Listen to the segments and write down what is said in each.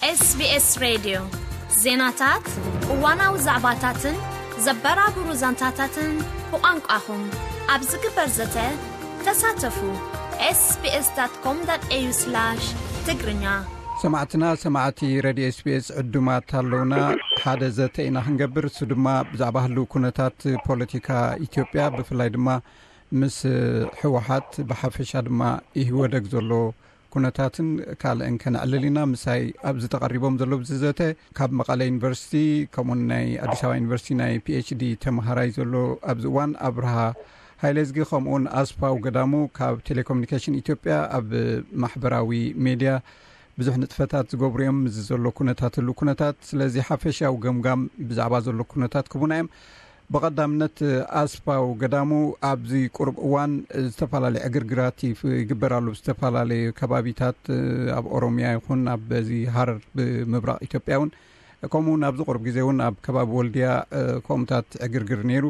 SBS ሬድዮ፣ ዜናታት፣ እዋናዊ ዛዕባታትን ዘበራብሩ ዛንታታትን ብቋንቋኹም ኣብ ዝግበር ዘተ ተሳተፉ። ኤስቢኤስ ዳት ኮም ዳት ኤዩ ስላሽ ትግርኛ። ሰማዕትና፣ ሰማዕቲ ሬድዮ ኤስቢኤስ ዕዱማት ኣለውና። ሓደ ዘተ ኢና ክንገብር፣ እሱ ድማ ብዛዕባ ህልው ኩነታት ፖለቲካ ኢትዮጵያ፣ ብፍላይ ድማ ምስ ህወሓት፣ ብሓፈሻ ድማ ኢህወደግ ዘሎ ኩነታትን ካልእን ከነዕልል ኢና። ምሳይ ኣብዚ ተቐሪቦም ዘለዉ ኣብዚ ዘተ ካብ መቐለ ዩኒቨርሲቲ፣ ከምኡውን ናይ ኣዲስ ኣበባ ዩኒቨርሲቲ ናይ ፒኤችዲ ተምሃራይ ዘሎ ኣብዚ እዋን ኣብርሃ ሃይለዝጊ፣ ከምኡውን ኣስፋው ገዳሙ ካብ ቴሌኮሙኒኬሽን ኢትዮጵያ ኣብ ማሕበራዊ ሜድያ ብዙሕ ንጥፈታት ዝገብሩ እዮም። እዚ ዘሎ ኩነታት ህሉ ኩነታት፣ ስለዚ ሓፈሻዊ ገምጋም ብዛዕባ ዘሎ ኩነታት ክቡና እዮም። ብቐዳምነት ኣስፋው ገዳሙ፣ ኣብዚ ቁሩብ እዋን ዝተፈላለዩ ዕግርግራት ይፍ- ይግበር ኣሎ። ብዝተፈላለዩ ከባቢታት ኣብ ኦሮሚያ ይኹን ኣብ በዚ ሃረር ብምብራቕ ኢትዮጵያ እውን፣ ከምኡ እውን ኣብዚ ቁሩብ ግዜ እውን ኣብ ከባቢ ወልድያ ከምኡታት ዕግርግር ነይሩ።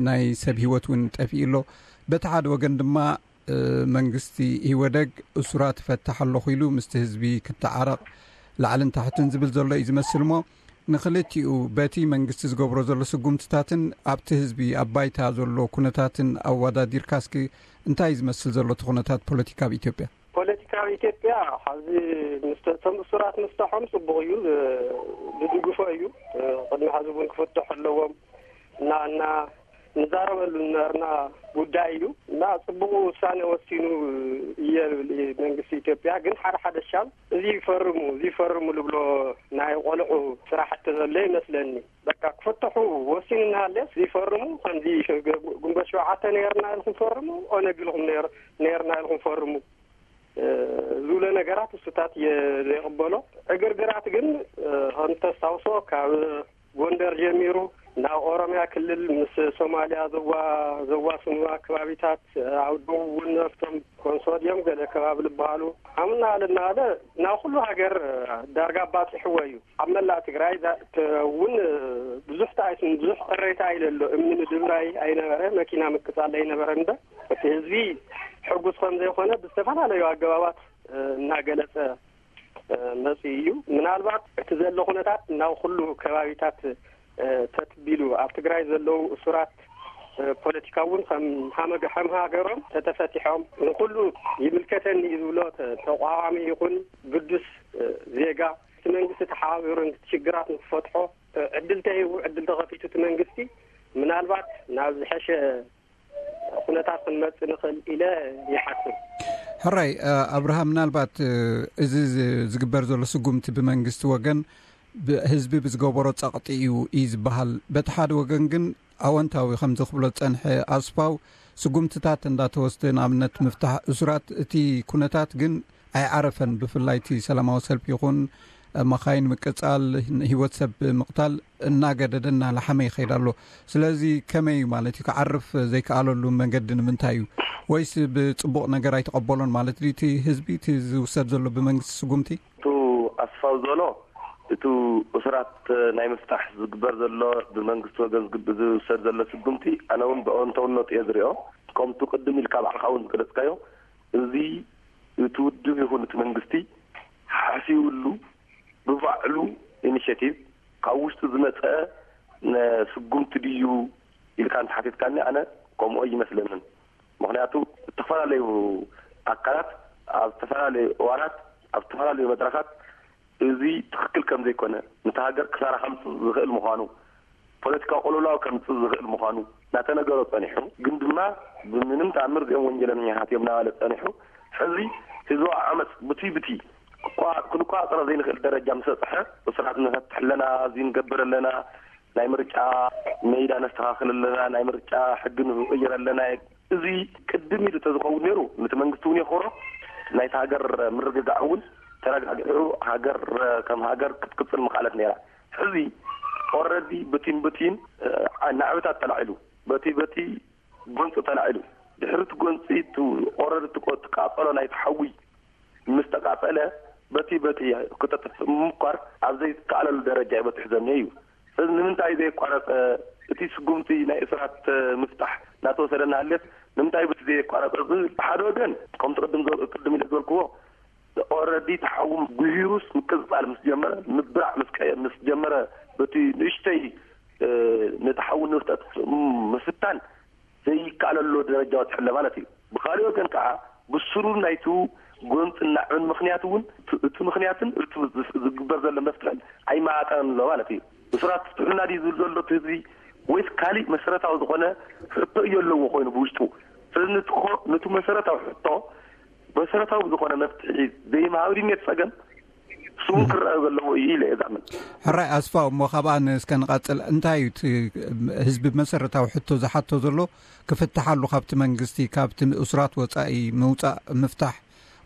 ናይ ሰብ ህይወት እውን ጠፊኡ ኣሎ። በቲ ሓደ ወገን ድማ መንግስቲ ኢህወደግ እሱራት እፈትሕ ኣለኹ ኢሉ ምስቲ ህዝቢ ክተዓረቕ ላዕልን ታሕትን ዝብል ዘሎ እዩ ዝመስል እሞ፣ ንክልቲኡ በቲ መንግስቲ ዝገብሮ ዘሎ ስጉምትታትን ኣብቲ ህዝቢ ኣብ ባይታ ዘሎ ኩነታትን ኣወዳዲርካ እስኪ እንታይ እዩ ዝመስል ዘሎ እቲ ኩነታት ፖለቲካ ኣብ ኢትዮጵያ? ፖለቲካ ኣብ ኢትዮጵያ ሐዚ ምስ እቶም እሱራት ምፍትሖም ጽቡቕ እዩ፣ ዝድግፎ እዩ። ቅድሚ ሐዚ እውን ክፍትሑ ኣለዎም እና እና ንዛረበሉ ዝነበርና ጉዳይ እዩ እና ጽቡቕ ውሳኔ ወሲኑ እየ ዝብል እዩ መንግስቲ ኢትዮጵያ። ግን ሓደ ሓደ ሻም እዚ ይፈርሙ፣ እዚ ይፈርሙ ዝብሎ ናይ ቆልዑ ስራሕቲ ዘሎ ይመስለኒ። በቃ ክፍትሑ ወሲኑ እናሃለስ ይፈርሙ፣ ከምዚ ግንቦት ሸውዓተ ነይርና ኢልኩም ፈርሙ፣ ኦነግ ኢልኩም ነይር-፣ ነይርና ኢልኩም ፈርሙ፣ እ፣ ዝብሎ ነገራት እሱታት እየ ዘይቕበሎ። ዕግርግራት ግን፣ እ፣ ከም ተስታውሶ ካብ ጎንደር ጀሚሩ ናብ ኦሮምያ ክልል ምስ ሶማልያ ዘዋ-፣ ዘዋስኑ ኣከባቢታት፣ ኣብ ደቡብ እውን ኣብቶም ኮንሶ ድዮም ገለ ከባቢ ዝበሃሉ፣ ዓምና ኣለ እናበለ ናብ ኩሉ ሃገር ዳርጋ ኣባፂሕዎ እዩ። ኣብ መላእ ትግራይ ዛ-፣ ተ-፣ እውን ብዙሕ ተኣይስን ብዙሕ ቅሬታ ኣይለሎ። እምኒ ምድብራይ ኣይነበረ፣ መኪና ምቅፃል ኣይነበረ እምበር እቲ ህዝቢ ሕጉስ ከም ዘይኮነ ብዝተፈላለዩ ኣገባባት፣ እ፣ እናገለፀ መጺኡ እዩ። ምናልባት እቲ ዘሎ ኩነታት ናብ ኩሉ ከባቢታት፣ እ፣ ተትቢሉ ኣብ ትግራይ ዘለዉ እሱራት፣ እ፣ ፖለቲካ እውን ከም ሃመገ-፣ ከም ሃገሮም ተተፈቲሖም ንኩሉ ይምልከተኒ እዩ ዝብሎ ተ-፣ ተቋዋሚ ይኹን ግዱስ፣ እ፣ ዜጋ እቲ መንግስቲ ተሓባቢሩ ነቲ ሽግራት ንክፈትሖ፣ እ፣ ዕድል ተሂቡ፣ ዕድል ተኸፊቱ እቲ መንግስቲ ምናልባት ናብ ዝሐሸ ኩነታት ክንመጽእ ንኽእል ኢለ ይሓስብ። ሕራይ፣ እ፣ ኣብርሃም፣ ምናልባት፣ እ፣ እዚ ዝ-፣ ዝግበር ዘሎ ስጉምቲ ብመንግስቲ ወገን ብ-፣ ህዝቢ ብዝገበሮ ጸቕጢ እዩ እዩ ዝበሃል። በቲ ሓደ ወገን ግን ኣወንታዊ ከምዚ ክብሎ ዝጸንሐ ኣስፋው ስጉምትታት እንዳተወስደ፣ ንኣብነት ምፍታሕ እሱራት፣ እቲ ኩነታት ግን ኣይዓረፈን። ብፍላይ እቲ ሰላማዊ ሰልፊ ይኹን መኻይን ምቅጻል፣ ህይወት ሰብ ምቕታል እናገደደ እናላሓመ ይኸይድ ኣሎ። ስለዚ ከመይ እዩ ማለት እዩ ክዓርፍ ዘይከኣለሉ መንገዲ ንምንታይ እዩ? ወይስ ብጽቡቕ ነገር ኣይተቐበሎን ማለት ድዩ እቲ ህዝቢ እቲ ዝውሰድ ዘሎ ብመንግስቲ ስጉምቲ? እቱ ኣስፋው ዘሎ፣ እቱ እሱራት ናይ ምፍታሕ ዝግበር ዘሎ ብመንግስቲ ወገን ዝግብ-፣ ዝውሰድ ዘሎ ስጉምቲ ኣነ እውን ብኣወንታውነቱ እየ ዝሪኦ። ከምቱ ቅድም ኢልካ ባዕልኻ እውን ዝገለጽካዮ፣ እዚ እቲ ውድብ ይኹን እቲ መንግስቲ ሓሲብሉ ብባዕሉ ኢኒሼቲቭ ካብ ውሽጢ ዝመፀ ነ-፣ ስጉምቲ ድዩ ኢልካ እንተሓቲትካኒ ኣነ ከምኡ ኣይመስለንን። ምኽንያቱ ዝተፈላለዩ ኣካላት ኣብ ዝተፈላለዩ እዋናት ኣብ ዝተፈላለዩ መድረኻት እዚ ትኽክል ከም ዘይኮነ፣ ነታ ሃገር ክሳራ ከምጽእ ዝኽእል ምዃኑ፣ ፖለቲካዊ ቅልውላው ከምጽእ ዝኽእል ምዃኑ እናተነገሮ ጸኒሑ፣ ግን ድማ ብምንም ተኣምር እዚኦም ወንጀለኛታት እዮም እናበለ ጸኒሑ፣ ሕዚ ህዝባዊ ዓመጽ ብቲ ብቲ ክቋ-፣ ክንቋጸሮ ዘይንኽእል ደረጃ ምስ በጽሐ፣ እሱራት ንፈትሕ ኣለና፣ እዚ ንገብር ኣለና፣ ናይ ምርጫ ሜዳ ነስተኻኽል ኣለና፣ ናይ ምርጫ ሕጊ ንቕይር ኣለና። እዚ ቅድም ኢሉ ተዝኸውን ነይሩ፣ ነቲ መንግስቲ እውን የኽብሮ፣ ናይቲ ሃገር ምርግጋዕ እውን ተረጋጊዑ ሃገር ከም ሃገር ክትቅጽል ምኽኣለት ነይራ። ሕዚ ኦረዲ ብቲን ብቲን፣ እ፣ ናዕብታት ተላዒሉ፣ በቲ በቲ ጎንፂ ተላዒሉ፣ ድሕሪ እቲ ጎንፂ እቲ ኦረዲ እቲ ቆ-፣ እቲ ቃጸሎ ናይቲ ሓዊ ምስ ተቃጸለ፣ በቲ በቲ ክተጥፍእ ምምኳር ኣብ ዘይከኣለሉ ደረጃ እዩ በጺሑ ዘሎ እዩ። ስለዚ ንምንታይ ዘየቋረጸ እቲ ስጉምቲ ናይ እስራት ምፍታሕ እናተወሰደ እናሃለየስ ንምንታይ በቲ ዘየቋረጸ ዝብል፣ ብሓደ ወገን ከምቲ ቅድም ዘ-፣ ቅድም ኢለ ዝበልክዎ ኦረዲ ተሓውም ጉሂሩስ ምቅፅፃል ምስ ጀመረ፣ ምብራዕ ምስ ቀየ ምስ ጀመረ፣ በቲ ንእሽተይ ነተሓውን ንፍጠት ምፍታን ዘይከኣለሉ ደረጃ በፂሑ ኣሎ ማለት እዩ። ብካሊእ ወገን ከዓ ብስሩ ናይቲ ጎንፅናዕን ምክንያት እውን እቲ ምክንያትን እቲ ዝግበር ዘሎ መፍትሕን ኣይመጣጠንን ኣሎ ማለት እዩ። ብስራት ፍትሕና ድዩ ዝብል ዘሎ እቲ ህዝቢ ወይስ ካሊእ መሰረታዊ ዝኾነ ሕቶ እዩ ኣለዎ ኮይኑ ብውሽጡ? ስለዚ ንትኾ ነቲ መሰረታዊ ሕቶ መሰረታዊ ዝኾነ መፍትሒ ዘይምሃብ ድዩ ነቲ ፀገም? ስሙ ክረኣ ዘለዎ እዩ ኢለ እዛምን። ሕራይ ኣስፋው፣ እሞ ካብኣ እስከ ንቐፅል። እንታይ እዩ እቲ ህዝቢ መሰረታዊ ሕቶ ዝሓቶ ዘሎ? ክፍትሓሉ ካብቲ መንግስቲ፣ ካብቲ እሱራት ወፃኢ ምውፃእ፣ ምፍታሕ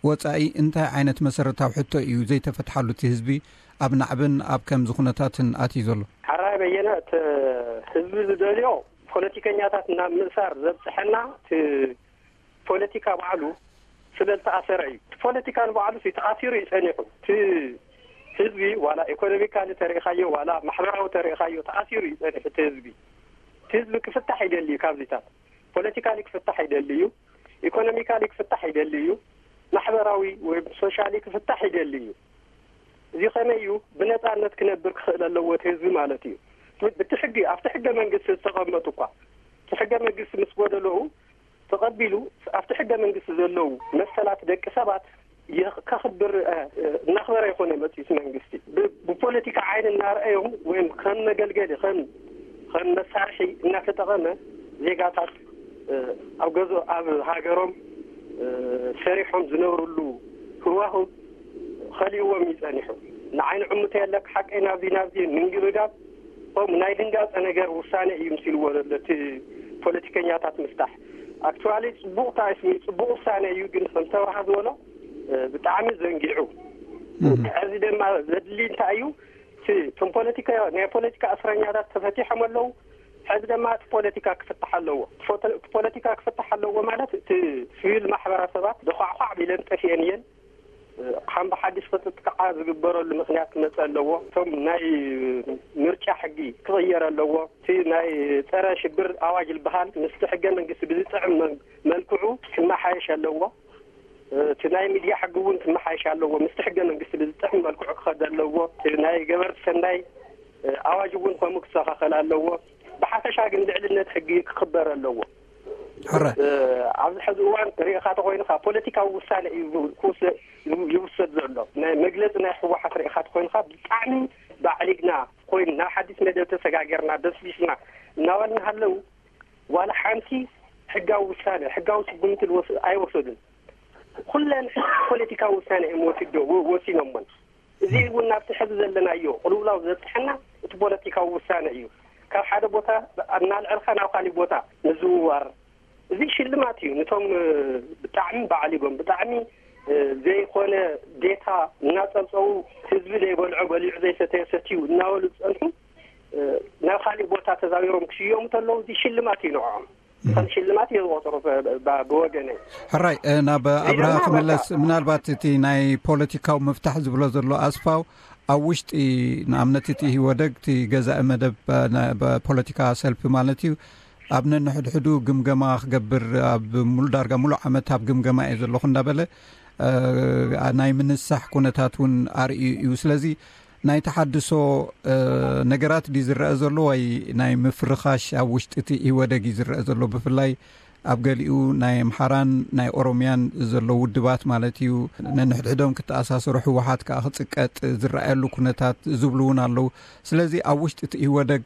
ወፃኢ እንታይ ዓይነት መሰረታዊ ሕቶ እዩ ዘይተፈትሓሉ? እቲ ህዝቢ ኣብ ናዕብን ኣብ ከምዚ ኩነታትን ኣትዩ ዘሎ። ሕራይ በየነ፣ እቲ ህዝቢ ዝደልዮ ፖለቲከኛታት ናብ ምእሳር ዘብፅሐና እቲ ፖለቲካ ባዕሉ ስለ ዝተኣሰረ እዩ። እቲ ፖለቲካ ንባዕሉ ሲ ተኣሲሩ እዩ ጸኒሑ። እቲ ህዝቢ ዋላ ኢኮኖሚካሊ ተሪእኻዮ ዋላ ማሕበራዊ ተሪእኻዮ ተኣሲሩ እዩ ጸኒሑ። እቲ ህዝቢ እቲ ህዝቢ ክፍታሕ ይደሊ እዩ። ካብዚታት ፖለቲካሊ ክፍታሕ ይደሊ እዩ፣ ኢኮኖሚካሊ ክፍታሕ ይደሊ እዩ፣ ማሕበራዊ ወይ ሶሻሊ ክፍታሕ ይደሊ እዩ። እዚ ከመይ እዩ ብነጻነት ክነብር ክኽእል ኣለዎ እቲ ህዝቢ ማለት እዩ። ብቲ ሕጊ ኣብቲ ሕገ መንግስቲ ዝተቐመጡ እኳ እቲ ሕገ መንግስቲ ምስ ጎደለኡ ተቐቢሉ ኣብቲ ሕገ መንግስቲ ዘለዉ መሰላት ደቂ ሰባት ከኽብር እናኽበረ ይኾነ መፅኡ መንግስቲ ብፖለቲካ ዓይን እናረኣዮም ወይም ከም መገልገሊ ከም ከም መሳርሒ እናተጠቐመ ዜጋታት ኣብ ገዞ ኣብ ሃገሮም ሰሪሖም ዝነብርሉ ህዋህው ኸሊእዎም እዩ ጸኒሑ። ንዓይ ንዕሙተ የለክ ሓቀይ ናብዚ ናብዚ ምንግብጋብ ከምኡ ናይ ድንጋጸ ነገር ውሳነ እዩ ምሲልዎ ዘሎ እቲ ፖለቲከኛታት ምፍታሕ። ኣክቹዋሊ ጽቡቕ ታይስሚ ጽቡቕ ውሳነ እዩ፣ ግን ከም ተባሃ ዝበሎ ብጣዕሚ ዘንጊዑ። ሕዚ ድማ ዘድሊ እንታይ እዩ? እቲ እቶም ፖለቲካ ናይ ፖለቲካ እስረኛታት ተፈቲሖም ኣለዉ። ሕዚ ድማ እቲ ፖለቲካ ክፍታሕ ኣለዎ። እቲ ፖለቲካ ክፍታሕ ኣለዎ ማለት እቲ ስቪል ማሕበረሰባት ደኳዕኳዕ ቢለን ጠፊአን እየን። ከም ብሓድሽ ክትጥቃዓ ዝግበረሉ ምክንያት ክመፅእ ኣለዎ። እቶም ናይ ምርጫ ሕጊ ክቕየር ኣለዎ። እቲ ናይ ፀረ ሽብር ኣዋጅ ዝበሃል ምስቲ ሕገ መንግስቲ ብዝጥዕም መልክዑ ክመሓየሽ ኣለዎ። እቲ ናይ ሚድያ ሕጊ እውን ክመሓየሽ ኣለዎ። ምስቲ ሕገ መንግስቲ ብዝጥዕም መልክዑ ክኸድ ኣለዎ። እቲ ናይ ገበርቲ ሰናይ ኣዋጅ እውን ከምኡ ክስተኻኸል ኣለዎ። ብሓፈሻ ግን ልዕልነት ሕጊ ክኽበር ኣለዎ። ሕረ ኣብዚ ሕዚ እዋን ርኢኻ ተኮይንካ ፖለቲካዊ ውሳነ እዩ ክውሰድ ዘሎ። ናይ መግለፂ ናይ ህወሓት ርኢኻ ተኮይንካ ብጣዕሚ ባዕሊግና ኮይኑ ናብ ሓዲስ መደብ ተሰጋገርና በስቢስና እናበልና ሃለው ዋላ ሓንቲ ሕጋዊ ውሳነ ሕጋዊ ስጉምቲ ኣይወሰዱን። ኩለን ፖለቲካዊ ውሳነ እዮም ወሲዶ ወሲኖሞን። እዚ እውን ናብቲ ሕዚ ዘለናዮ ቅልውላው ዘብፅሐና እቲ ፖለቲካዊ ውሳነ እዩ። ካብ ሓደ ቦታ እናልዐልካ ናብ ካሊእ ቦታ ምዝውዋር እዚ ሽልማት እዩ። ነቶም ብጣዕሚ ባዕሊጎም ብጣዕሚ ዘይኮነ ዴታ እናፀብፀቡ ህዝቢ ዘይበልዖ በሊዑ ዘይሰተየ ሰትዩ እናበሉ ዝፀንሑ ናብ ካሊእ ቦታ ተዛዊሮም ክሽየሙ ተለዉ እዚ ሽልማት እዩ ንዕኦም። ከም ሽልማት እየ ዝቆፅሮ ብወገነይ። ሕራይ ናብ ኣብርሃ ክምለስ፣ ምናልባት እቲ ናይ ፖለቲካዊ ምፍታሕ ዝብሎ ዘሎ ኣስፋው ኣብ ውሽጢ ንኣብነት እቲ ኢህወደግ እቲ ገዛኢ መደብ ፖለቲካ ሰልፊ ማለት እዩ ኣብ ነንሕድሕዱ ግምገማ ክገብር ኣብ ሙሉ ዳርጋ ሙሉ ዓመት ኣብ ግምገማ እየ ዘለኹ እንዳበለ ናይ ምንሳሕ ኩነታት እውን ኣርእዩ እዩ። ስለዚ ናይ ተሓድሶ ነገራት ድዩ ዝረአ ዘሎ ወይ ናይ ምፍርኻሽ ኣብ ውሽጢ እቲ ኢህወደግ እዩ ዝረአ ዘሎ? ብፍላይ ኣብ ገሊኡ ናይ ኣምሓራን ናይ ኦሮምያን ዘሎ ውድባት ማለት እዩ ነንሕድሕዶም ክተኣሳሰሩ፣ ህወሓት ከዓ ክፅቀጥ ዝረኣየሉ ኩነታት ዝብሉ እውን ኣለዉ። ስለዚ ኣብ ውሽጢ እቲ ኢህወደግ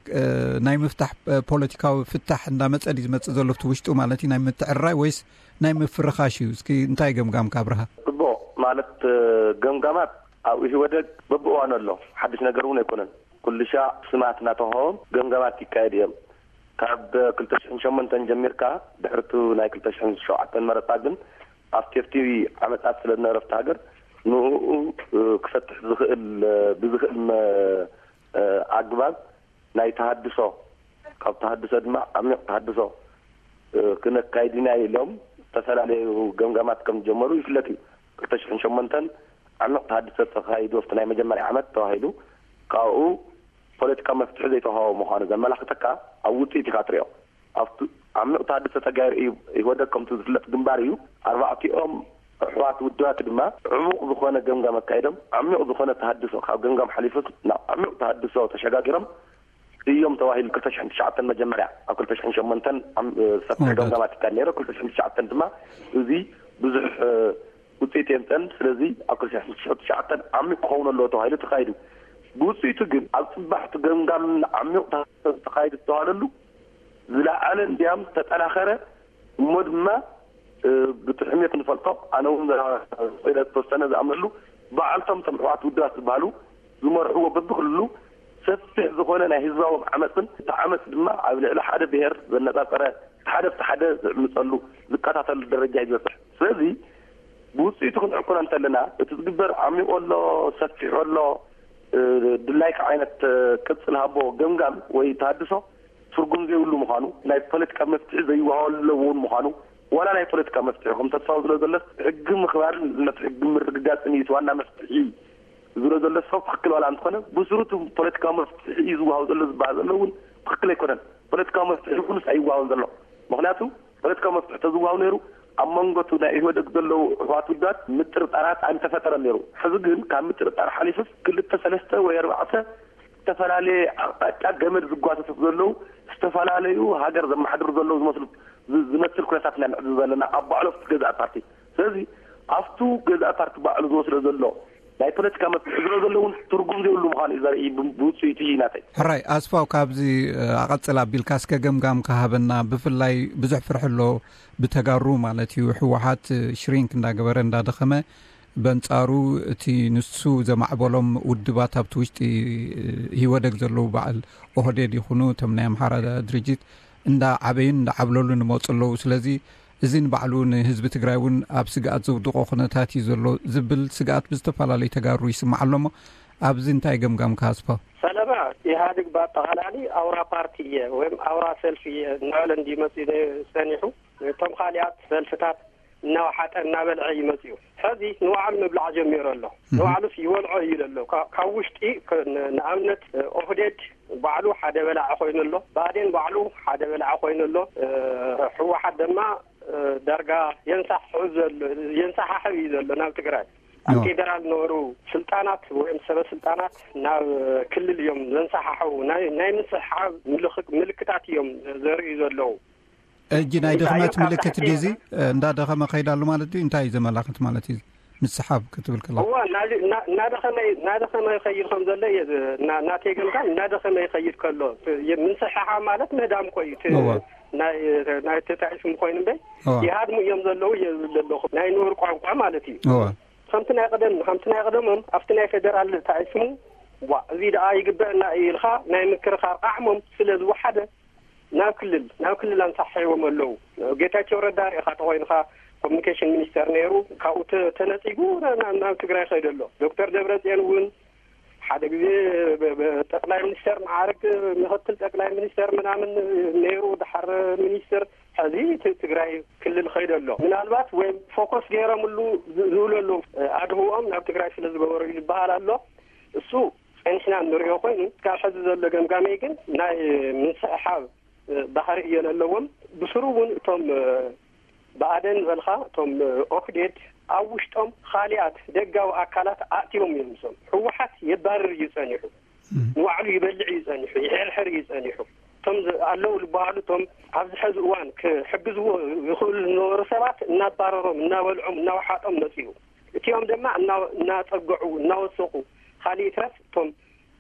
ናይ ምፍታሕ ፖለቲካዊ ፍታሕ እንዳመፀ ድዩ ዝመፅእ ዘሎ? እቲ ውሽጡ ማለት እዩ ናይ ምትዕርራይ ወይስ ናይ ምፍርኻሽ እዩ? እስኪ እንታይ ገምጋምካ ኣብርሃ? ፅቡቕ ማለት ገምጋማት ኣብ ኢህወደግ በብእዋኑ ኣሎ። ሓድሽ ነገር እውን ኣይኮነን። ኩልሻ ስማት እናተውሃቦም ገምጋማት ይካየድ እዮም። ካብ ክልተ ሽሕን ሸሞንተን ጀሚርካ ድሕርቱ ናይ ክልተ ሽሕን ሸውዓተን መረፃ ግን ኣብ ቴፍቲ ዓመፃት ስለ ዝነበረ ኣብቲ ሃገር ንኡ ክፈትሕ ዝኽእል ብዝኽእል ኣግባብ ናይ ተሃድሶ ካብ ተሃድሶ ድማ ዓሚቕ ተሃድሶ ክነካይድ ኢና ኢሎም ዝተፈላለዩ ገምጋማት ከም ዝጀመሩ ይፍለጥ እዩ። ክልተ ሽሕን ሸሞንተን ዓሚቕ ተሃድሶ ተኻይዱ ኣብቲ ናይ መጀመርያ ዓመት ተባሂሉ ካብኡ ፖለቲካዊ መፍትሒ ዘይተዋሃቦ ምዃኑ ዘመላኽተካ ኣብ ውፅኢት ኢኻ ትሪኦ። ኣብቲ ዓሚቕ ተሃድሶ ተጋይሩ እዩ። ኢህወደግ ከምቲ ዝፍለጥ ግንባር እዩ። ኣርባዕቲኦም ኣሕዋት ውድባት ድማ ዕሙቕ ዝኾነ ገምጋም ኣካይዶም፣ ዓሚቕ ዝኾነ ተሃድሶ፣ ካብ ገምጋም ሓሊፉ ናብ ዓሚቕ ተሃድሶ ተሸጋጊሮም እዮም ተባሂሉ። ክልተ ሽሕን ትሽዓተን መጀመርያ፣ ኣብ ክልተ ሽሕን ሸሞንተን ዓም-፣ ሰፊሕ ገምጋማት ይካየድ ነይሩ። ክልተ ሽሕን ትሽዓተን ድማ እዚ ብዙሕ ውፅኢት የምፀን። ስለዚ ኣብ ክልተ ሽሕን ትሽዓተን ዓሚቕ ክኸውን ኣለዎ ተባሂሉ ተኻይዱ። ብውፅኢቱ ግን ኣብ ፅባሕ እቲ ገምጋም ዓሚቕ ተሃድሶ ተኻይዱ ዝተባሃለሉ ዝለዓለ እንዲያም ዝተጠናኸረ እሞ ድማ ብጥሕሜት ንፈልጦ፣ ኣነ እውን ክኢለ ዝተወሰነ ዝኣምነሉ፣ በዓልቶም እቶም ኣሕዋት ውድባት ዝበሃሉ ዝመርሕዎ በብክልሉ ሰፊሕ ዝኾነ ናይ ህዝባዎም ዓመፅን፣ እቲ ዓመፅ ድማ ኣብ ልዕሊ ሓደ ብሄር ዘነፃፀረ፣ ሓደ ብቲ ሓደ ዝዕምፀሉ፣ ዝቀታተሉ ደረጃ እዩ ዝበፅሕ። ስለዚ ብውፅኢቱ ክንዕቁኖ እንተለና፣ እቲ ዝግበር ዓሚቑ ኣሎ፣ ሰፊሑ ኣሎ፣ ድላይካ ዓይነት ቅፅል ሃቦ ገምጋም ወይ ተሃድሶ ትርጉም ዘይብሉ ምዃኑ፣ ናይ ፖለቲካ መፍትሒ ዘይወሃበሉ እውን ምዃኑ፣ ዋላ ናይ ፖለቲካ መፍትሒ ከም ተስፋው ዝሎ ዘሎ ሕጊ ምኽባርን ነቲ ሕጊ ምርግጋፅን እዩ እቲ ዋና መፍትሒ ዝሎ ዘሎ ሰብ ትኽክል ዋላ እንተኾነ፣ ብስሩ እቲ ፖለቲካዊ መፍትሒ እዩ ዝወሃብ ዘሎ ዝበሃል ዘሎ እውን ትኽክል ኣይኮነን። ፖለቲካዊ መፍትሒ ይኹንስ ኣይወሃብን ዘሎ። ምኽንያቱ ፖለቲካዊ መፍትሒ ተዝወሃብ ነይሩ፣ ኣብ መንጎ እቲ ናይ ኢህወደግ ዘለዉ ኣሕዋት ውዳት ምጥርጣራት ኣይምተፈጠረን ነይሩ። ሕዚ ግን ካብ ምጥርጣር ሓሊፉስ ክልተ ሰለስተ ወይ ኣርባዕተ ዝተፈላለየ ኣቕጣጫ ገመድ ዝጓተቱ ዘለዉ፣ ዝተፈላለዩ ሃገር ዘመሓድሩ ዘለዉ ዝመስሉ፣ ዝ-፣ ዝመስል ኩነታት ኢና ንዕዘብ ዘለና ኣብ ባዕሎም እቲ ገዛእ ፓርቲ። ስለዚ ኣብቱ ገዛእ ፓርቲ ባዕሉ ዝወስዶ ዘሎ ናይ ፖለቲካ መፍትሒ ዝሎ ዘሎ እውን ትርጉም ዘይብሉ ምዃኑ እዩ ዘርኢ ብ-፣ ብውፅኢቱ እዩ ናተይ። ሕራይ ኣስፋው፣ ካብዚ፣ እ፣ ኣቐጽል ኣቢልካ እስከ ገምጋም ክሃበና። ብፍላይ ብዙሕ ፍርሒ ኣሎ ብተጋሩ ማለት እዩ። ህወሓት፣ እ፣ ሽሪንክ እንዳገበረ እንዳደኸመ፣ በንጻሩ እቲ ንሱ ዘማዕበሎም ውድባት ኣብቲ ውሽጢ፣ እ፣ ኢህወደግ ዘለዉ በዓል ኦህዴድ ይኹኑ እቶም ናይ ኣምሓራ ድርጅት እንዳ ዓበዩን እንዳ ዓብለሉን ይመጹ ኣለዉ። ስለዚ እዚ ንባዕሉ ንህዝቢ ትግራይ እውን ኣብ ስግኣት ዘውድቖ ኩነታት እዩ ዘሎ ዝብል ስግኣት ብዝተፈላለዩ ተጋሩ ይስማዕ ኣሎ። እሞ ኣብዚ እንታይ ገምጋምካ ኣስፋው? ሰለባ፣ ኢህኣዴግ ብኣጠቓላሊ ኣውራ ፓርቲ እየ ወይም ኣውራ ሰልፊ እየ እናበለ እንዲመፅእ ጸኒሑ፣ እቶም ካሊኣት ሰልፍታት እናወሓጠ እናበልዐ ይመፅእ እዩ። ሕዚ ንባዕሉ ምብላዕ ጀሚሩ ኣሎ። እህ። ንባዕሉስ ይበልዖ እዩ ዘሎ። ካ-፣ ካብ ውሽጢ ከ-፣ ን-፣ ንኣብነት ኦህዴድ ባዕሉ ሓደ በላዒ ኮይኑ ኣሎ። ብኣዴን ባዕሉ ሓደ በላዒ ኮይኑ ኣሎ። እ፣ ህወሓት ድማ፣ እ፣ ዳርጋ የንሳሕሑ ዘሎ፣ የንሳሓሕብ እዩ ዘሎ ናብ ትግራይ። ኣብ ኖ። ፌደራል ነበሩ ስልጣናት ወይም ሰበ ስልጣናት ናብ ክልል እዮም ዘንሳሓሕቡ። ናይ፣ ናይ ምስሕሓብ ምልኽ-፣ ምልክታት እዮም ዘርእዩ ዘለዉ። ሕጂ ናይ እንታይ ድኽመት እዮም ካብ ምልክት ታሕቲ ድዩ እዚ? እ፣ እንዳደኸመ ከይዳ ኣሎ ማለት ድዩ? እንታይ እዩ ዘመላኽት ማለት እዩ? ምስሓብ ክትብል ከለኻ? እዋ፣ እናዚ-፣ እና-፣ እናደኸመ፣ እናደኸመ ይኸይድ ከም ዘሎ እየ ዝ-፣ እና-፣ እናተይ ገምጋም እናደኸመ ይኸይድ ከሎ፣ ት-፣ የ-፣ ምስሕሓብ ማለት ምህዳም እኮ እዩ። ት-፣ እዋ። ናይ፣ ናይ ተታሒዝኩም ኮይኑ እምበይ፣ እዋ። ይሃድሙ እዮም ዘለዉ እየ ዝብል ዘለኹ። ናይ ንቡር ቋንቋ ማለት እዩ። እዋ። ከምቲ ናይ ቀደም፣ ከምቲ ናይ ቀደሞም ኣብቲ ናይ ፌደራል ተታሒዝኩሙ፣ ዋ፣ እዚ ደኣ ይግበአና እዩ ኢልካ ናይ ምክርኻር ዓቕሞም ስለ ዝወሓደ፣ ናብ ክልል፣ ናብ ክልል ኣንሳሒዎም ኣለዉ። ጌታቸው ረዳ ርኢኻ ተኾይንኻ ኮሚኒኬሽን ሚኒስተር ነይሩ፣ ካብኡ ተ-፣ ተነጺጉ ና-፣ ና-፣ ናብ ትግራይ ከይዱ ኣሎ። ዶክተር ደብረጽዮን እውን ሓደ ግዜ ብ-፣ ብ-፣ ጠቅላይ ሚኒስተር መዓርግ ምኽትል ጠቅላይ ሚኒስተር ምናምን ነይሩ፣ ድሓር ሚኒስትር፣ ሕዚ ት-፣ ትግራይ ክልል ከይዱ ኣሎ። ምናልባት ወይም ፎከስ ገይሮምሉ ዝ-፣ ዝብሉ ኣለዉ። ኣድህቦኦም ናብ ትግራይ ስለ ዝገበሩ እዩ ዝበሃል ኣሎ። እሱ ጸኒሕና እንሪኦ ኮይኑ፣ እስካብ ሕዚ ዘሎ ገምጋመይ ግን ናይ ምስሕሓብ፣ እ፣ ባህሪ እዮ ዘለዎም። ብስሩ እውን እቶም፣ እ፣ ብኣዴን ዝበልካ፣ እቶም፣ እ፣ ኦህዴድ ኣብ ውሽጦም ካሊኣት ደጋዊ ኣካላት ኣእትዮም እዮም። እዞም ህወሓት የባርር እዩ ጸኒሑ፣ እም። ንባዕሉ ይበልዕ እዩ ጸኒሑ፣ ይሕርሕር እዩ ጸኒሑ። እቶም ዝ-፣ ኣለዉ ዝበሃሉ፣ እቶም ኣብዚ ሕዚ እዋን ክሕግዝዎ ይኽእሉ ዝነበሩ ሰባት እናባረሮም፣ እናበልዖም፣ እናወሓጦም መጺኡ። እቲኦም ድማ እና-፣ እናጸግዑ፣ እናወሰኹ፣ ካልእ ይትረፍ እቶም፣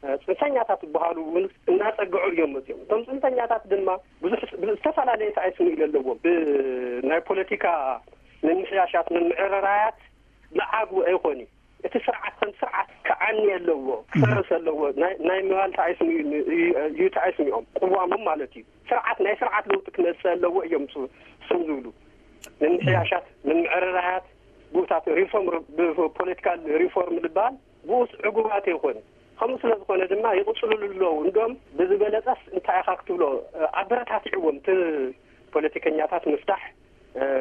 እ፣ ጽንፈኛታት ዝበሃሉ እውን እናጸግዑ እዮም መጺኦም። እቶም ጽንፈኛታት ድማ ብዙሕ ስ-፣ ብዝተፈላለየ ተኣይስሙ ኢለ ኣለዎም። ብናይ ፖለቲካ ምምሕያሻት፣ ምምዕርራያት መዓግቡ ኣይኾን እዩ። እቲ ስርዓት ከም ስርዓት ክዓኒ ኣለዎ፣ ክፈርስ ኣለዎ። ናይ፣ ናይ ምባል ተኣይስሙ እዩ፣ እዩ፣ እዩ ተኣይስሚኦም፣ ቅዋሞም ማለት እዩ። ስርዓት፣ ናይ ስርዓት ለውጢ ክመጽእ ኣለዎ እዮም ሱ-፣ ስም ዝብሉ። ምምሕያሻት፣ ምምዕርራያት፣ ብኡታት ሪፎርም፣ ብ-፣ ፖለቲካል ሪፎርም ዝበሃል ብኡስ ዕጉባት ኣይኮነ። ከምኡ ስለ ዝኾነ ድማ ይቕጽሉሉ ኣለዉ። እንዶም ብዝበለጸስ እንታይ ኢኻ ክትብሎ፣ ኣበረታቲዕዎም እቲ ፖለቲከኛታት ምፍታሕ፣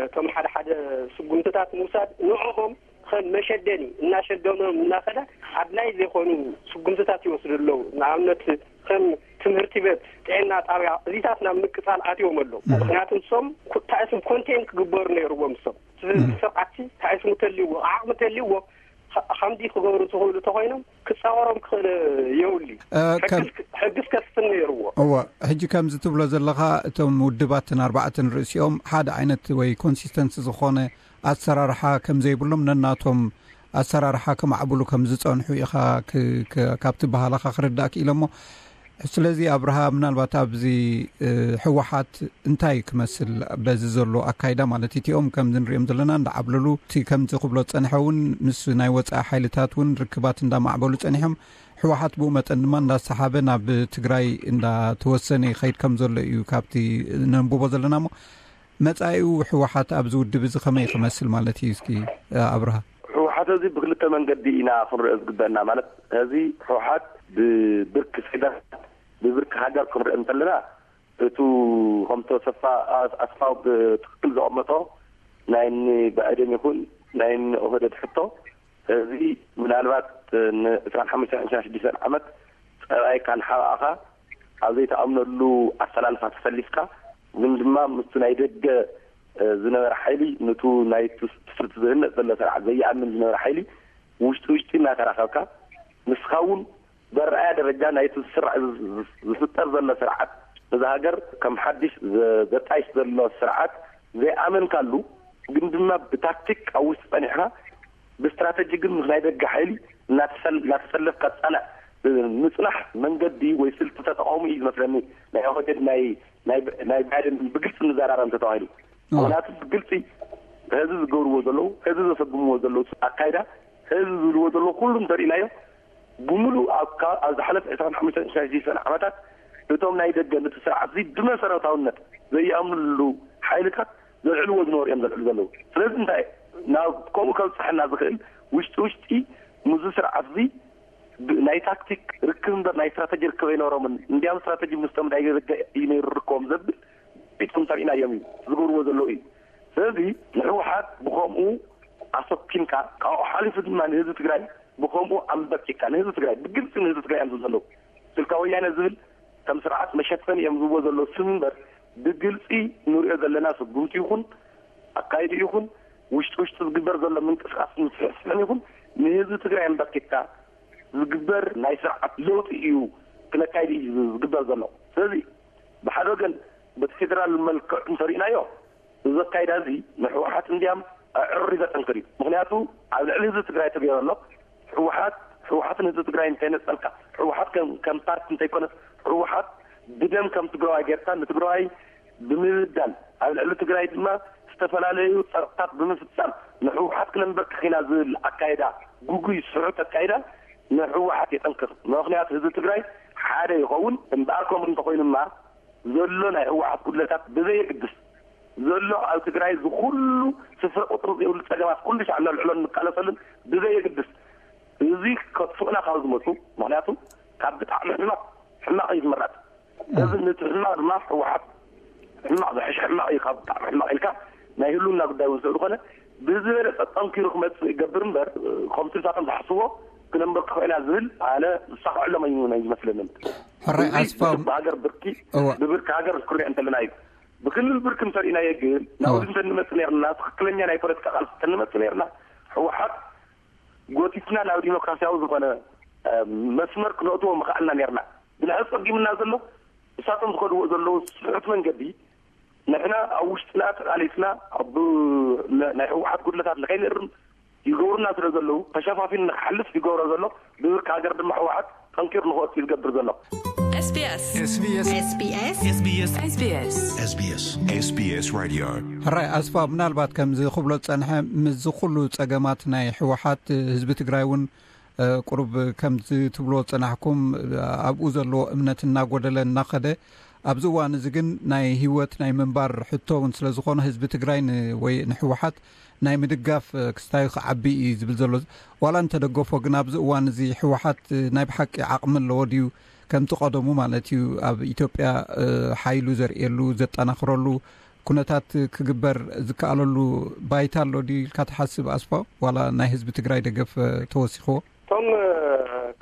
እቶም ሓደ ሓደ ስጉምትታት ምውሳድ፣ ንዕኦም ከም መሸደኒ እናሸደኖም እናኸደ ኣድላይ ዘይኮኑ ስጉምትታት ይወስዱ ኣለዉ። ንኣብነት ከም ትምህርቲ ቤት፣ ጥዕና ጣብያ፣ እዚታት ናብ ምቅጻል ኣትዮም ኣለዉ። እህ። ምኽንያቱ ንሶም ኮ-፣ ታእስም ኮንቴን ክግበሩ ነይርዎም እሶም። ስርዓትሲ እንታይ ስሙ ተልይዎ፣ ዓቕሚ ተልይዎ፣ ከ-፣ ከምዚ ክገብሩ ዝኽእሉ ተኾይኖም ክጻወሮም ክኽእል የብሉ። እ፣ ከም ሕግስ፣ ሕግስ ከስፍን ነይርዎ። እወ፣ ሕጂ ከምዚ ትብሎ ዘለኻ፣ እቶም ውድባትን ኣርባዕተን ርእሲኦም ሓደ ዓይነት ወይ ኮንሲስተንሲ ዝኾነ ኣሰራርሓ ከም ዘይብሎም፣ ነናቶም ኣሰራርሓ ከማዕብሉ ከም ዝጸንሑ ኢኻ ክ-፣ ክ-፣ ካብቲ ባህላኻ ክርዳእ ክኢለ እሞ፣ ስለዚ ኣብርሃ፣ ምናልባት ኣብዚ፣ እ፣ ህወሓት እንታይ ክመስል በዚ ዘሎ ኣካይዳ ማለት እቲኦም ከምዚ ንሪኦም ዘለና እንዳዓብለሉ፣ እቲ ከምዚ ክብሎ ዝጸንሐ እውን ምስ ናይ ወጻኢ ሓይልታት እውን ርክባት እንዳማዕበሉ ጸኒሖም፣ ህወሓት ብኡ መጠን ድማ እንዳሰሓበ ናብ ትግራይ እንዳተወሰነ ይኸይድ ከም ዘሎ እዩ ካብቲ ነንብቦ ዘለና። እሞ መጻኢኡ ህወሓት ኣብዚ ውድብ እዚ ከመይ ክመስል ማለት እዩ? እስኪ ኣብርሃ። ህወሓት እዚ ብክልተ መንገዲ ኢና ክንሪኦ ዝግበአና። ማለት፣ እዚ ህወሓት ብብርኪ ፌደራል፣ ብብርኪ ሃገር ክንሪኦ እንተለና፣ እቱ ከምቶ ሰፋ ኣስ-፣ ኣስፋው ብትክክል ዘቐመጦ ናይ ኒ ብኣዴን ይኹን ናይ ኒ ኦህደድ ሕቶ፣ እዚ ምናልባት ን ዕስራን ሓሙሽተን ዕስራን ሽዱሽተን ዓመት ጸባይካ ንሓባእኻ ኣብ ዘይተኣምነሉ ኣሰላልፋ ተሰሊፍካ፣ ግን ድማ ምስቲ ናይ ደገ፣ እ፣ ዝነበረ ሓይሊ፣ ንቱ ናይ ትስ-፣ ትስርት ዝህነጽ ዘሎ ስርዓት ዘይኣምን ዝነበረ ሓይሊ ውሽጢ ውሽጢ እናተራኸብካ፣ ንስኻ እውን በረኣያ ደረጃ ናይቲ ዝስራ-፣ ዝ-፣ ዝ-፣ ዝፍጠር ዘሎ ስርዓት፣ ነዛ ሃገር ከም ሓድሽ ዘ-፣ ዘጣይሽ ዘሎ ስርዓት ዘይኣመንካሉ፣ ግን ድማ ብታክቲክ ኣብ ውሽጢ ጸኒሕካ፣ ብስትራተጂ ግን ምስ ናይ ደገ ሓይሊ እናተሰል-፣ እናተሰለፍካ ጸንዕ-፣ ምጽናሕ መንገዲ ወይ ስልቲ ተጠቐሙ እዩ ዝመስለኒ። ናይ ኦህዴድ፣ ናይ፣ ናይ፣ ናይ ባይደን ብግልጺ ንዘራረብ እንተተባሂሉ። ምኽንያቱ ብግልጺ ህዝቢ ዝገብርዎ ዘለዉ፣ ህዝቢ ዘሰጉምዎ ዘለዉ ኣካይዳ፣ ህዝቢ ዝብልዎ ዘለዉ ኩሉ እንተርኢናዮ፣ ብምሉእ ኣብ ካ-፣ ኣብ ዝሓለፈ ዕስራን ሓሙሽተን ዕስራን ሽዱሽተን ዓመታት እቶም ናይ ደገ ነቲ ስርዓት እዚ ብመሰረታውነት ዘይኣምንሉ ሓይልታት ዘልዕልዎ ዝነበሩ እዮም ዘልዕሉ ዘለዉ። ስለዚ እንታይ ናብ ከምኡ ከብጽሐና ዝኽእል ውሽጢ ውሽጢ ምስዚ ስርዓት እዚ ብ-፣ ናይ ታክቲክ ርክብ እምበር ናይ ስትራተጂ ርክብ ኣይነበሮምን። እንዲያም ስትራተጂ ምስቶም ናይ ደገ እዩ ነይሩ ርክቦም ዘብል ቤቶም ተሪእናዮም እዩ ዝገብርዎ ዘለዉ እዩ። ስለዚ ንህወሓት ብኸምኡ ኣሰኪምካ፣ ካብኡ ሓሊፉ ድማ ንህዝቢ ትግራይ ብኸምኡ ኣንበርኪካ፣ ንህዝቢ ትግራይ ብግልፂ ንህዝቢ ትግራይ እዮም ዝብሉ ዘለዉ። ስልካ ወያነ ዝብል ከም ስርዓት መሸፈኒ እዮም ዝብዎ ዘለዉ ስም እምበር፣ ብግልፂ ንሪኦ ዘለና ስጉምቲ ይኹን ኣካይዱ ይኹን ውሽጢ ውሽጢ ዝግበር ዘሎ ምንቅስቃስ ምስሕስሕን ይኹን ንህዝቢ ትግራይ ኣንበርኪካ ዝግበር ናይ ስርዓት ለውጢ እዩ ክነካይድ እዩ ዝግበር ዘሎ። ስለዚ ብሓደ ወገን በቲ ፌደራል መልክዕ እንተሪእናዮ፣ እዚ ኣካይዳ እዚ ንህወሓት እንዲያም ኣዕሪ ዘጠንክር እዩ። ምኽንያቱ ኣብ ልዕሊ ህዝቢ ትግራይ ተገይሩ ኣሎ። ህወሓት፣ ህወሓትን ህዝቢ ትግራይ እንተይነጸልካ፣ ህወሓት ከም፣ ከም ፓርቲ እንተይኮነስ፣ ህወሓት ብደም ከም ትግራዋይ ጌርካ ንትግራዋይ ብምብዳል፣ ኣብ ልዕሊ ትግራይ ድማ ዝተፈላለዩ ጸቕጥታት ብምፍጻም ንህወሓት ክነንበርክኽ ኢና ዝብል ኣካይዳ፣ ጉጉይ ስሑት ኣካይዳ ንህወሓት የጠንክር። ምኽንያቱ ህዝቢ ትግራይ ሓደ ይኸውን። እምበኣር ከምኡ እንተኾይኑማ ዘሎ ናይ ህወሓት ጉድለታት ብዘየግድስ፣ ዘሎ ኣብ ትግራይ ዝኹሉ ስፍረ ቁፅሪ ዘይብሉ ጸገማት ኩሉ ሻዕ ነልዕሎን ንቃለሰሉን ብዘየግድስ፣ እዚ ከጥፍኡና ካብ ዝመፁ፣ ምኽንያቱ ካብ ብጣዕሚ ሕማቕ ሕማቕ እዩ ዝምረፅ። እዚ ነቲ ሕማቕ ድማ ህወሓት ሕማቕ ዝሕሽ ሕማቕ እዩ፣ ካብ ብጣዕሚ ሕማቕ ኢልካ ናይ ህልውና ጉዳይ እውን ስለዝኾነ ብዝበለፀ ጠንኪሩ ክመፅእ ይገብር እምበር፣ ከምቲ ንሳቶም ዝሓስብዎ ክነንበርክኾ ኢና ዝብል ኣነ ዝሳኽዐሎም ኣይመስለንን። ሕራይ እዚ ኣስፋው። ብሃገር ብርኪ፣ እወ። ብብርኪ ሃገር ክሪኦ እንተለና እዩ። ብክልል ብርኪ እንተሪእናዮ ግን ናብዚ እወ። እንተንመፅእ ነርና፣ ትኽክለኛ ናይ ፖለቲካ ቃልሲ እንተንመፅእ ነርና፣ ህወሓት ጎቲትና ናብ ዲሞክራሲያዊ ዝኾነ፣ እ፣ መስመር ክነእትዎ ምኽኣልና ነርና። ግን ሕዚ ጸጊምና ዘሎ፣ ንሳቶም ዝኸድዎ ዘለዉ ስሑት መንገዲ፣ ንሕና ኣብ ውሽጥና ተቓሊስና፣ ኣብ፣ ነ-፣ ናይ ህወሓት ጉድለታት ንኸይንእርም ይገብሩና ስለ ዘለዉ፣ ተሸፋፊኑ ንኽሓልፍ ይገብሮ ዘሎ፣ ብብርኪ ሃገር ድማ ህወሓት ጠንኪሩ ንኽወጽእ እዩ ዝገብር ዘሎ። SBS። SBS። SBS። SBS። SBS። SBS Radio። ሕራይ ኣስፋ፣ ምናልባት ከምዚ ክብሎ ዝጸንሐ፣ ምስዚ ኩሉ ጸገማት ናይ ህወሓት፣ ህዝቢ ትግራይ እውን፣ እ፣ ቁሩብ ከምዚ ትብሎ ዝጸናሕኩም፣ እ፣ ኣብኡ ዘለዎ እምነት እናጎደለ እናኸደ፣ ኣብዚ እዋን እዚ ግን ናይ ህይወት ናይ ምንባር ሕቶ እውን ስለ ዝኾነ፣ ህዝቢ ትግራይ ን-፣ ወይ ንህወሓት ናይ ምድጋፍ፣ እ፣ ክስታዩ ክዓቢ እዩ ዝብል ዘሎ። ዋላ እንተደገፎ ግን ኣብዚ እዋን እዚ ህወሓት፣ እ፣ ናይ ብሓቂ ዓቕሚ ኣለዎ ድዩ? ከምቲ ቀደሙ ማለት እዩ ኣብ ኢትዮጵያ፣ እ፣ ሓይሉ ዘርእየሉ፣ ዘጠናኽረሉ ኩነታት ክግበር ዝከኣለሉ ባይታ ኣሎ ድዩ ኢልካ ትሓስብ ኣስፋው? ዋላ ናይ ህዝቢ ትግራይ ደገፍ፣ እ፣ ተወሲኽዎ? እቶም፣ እ፣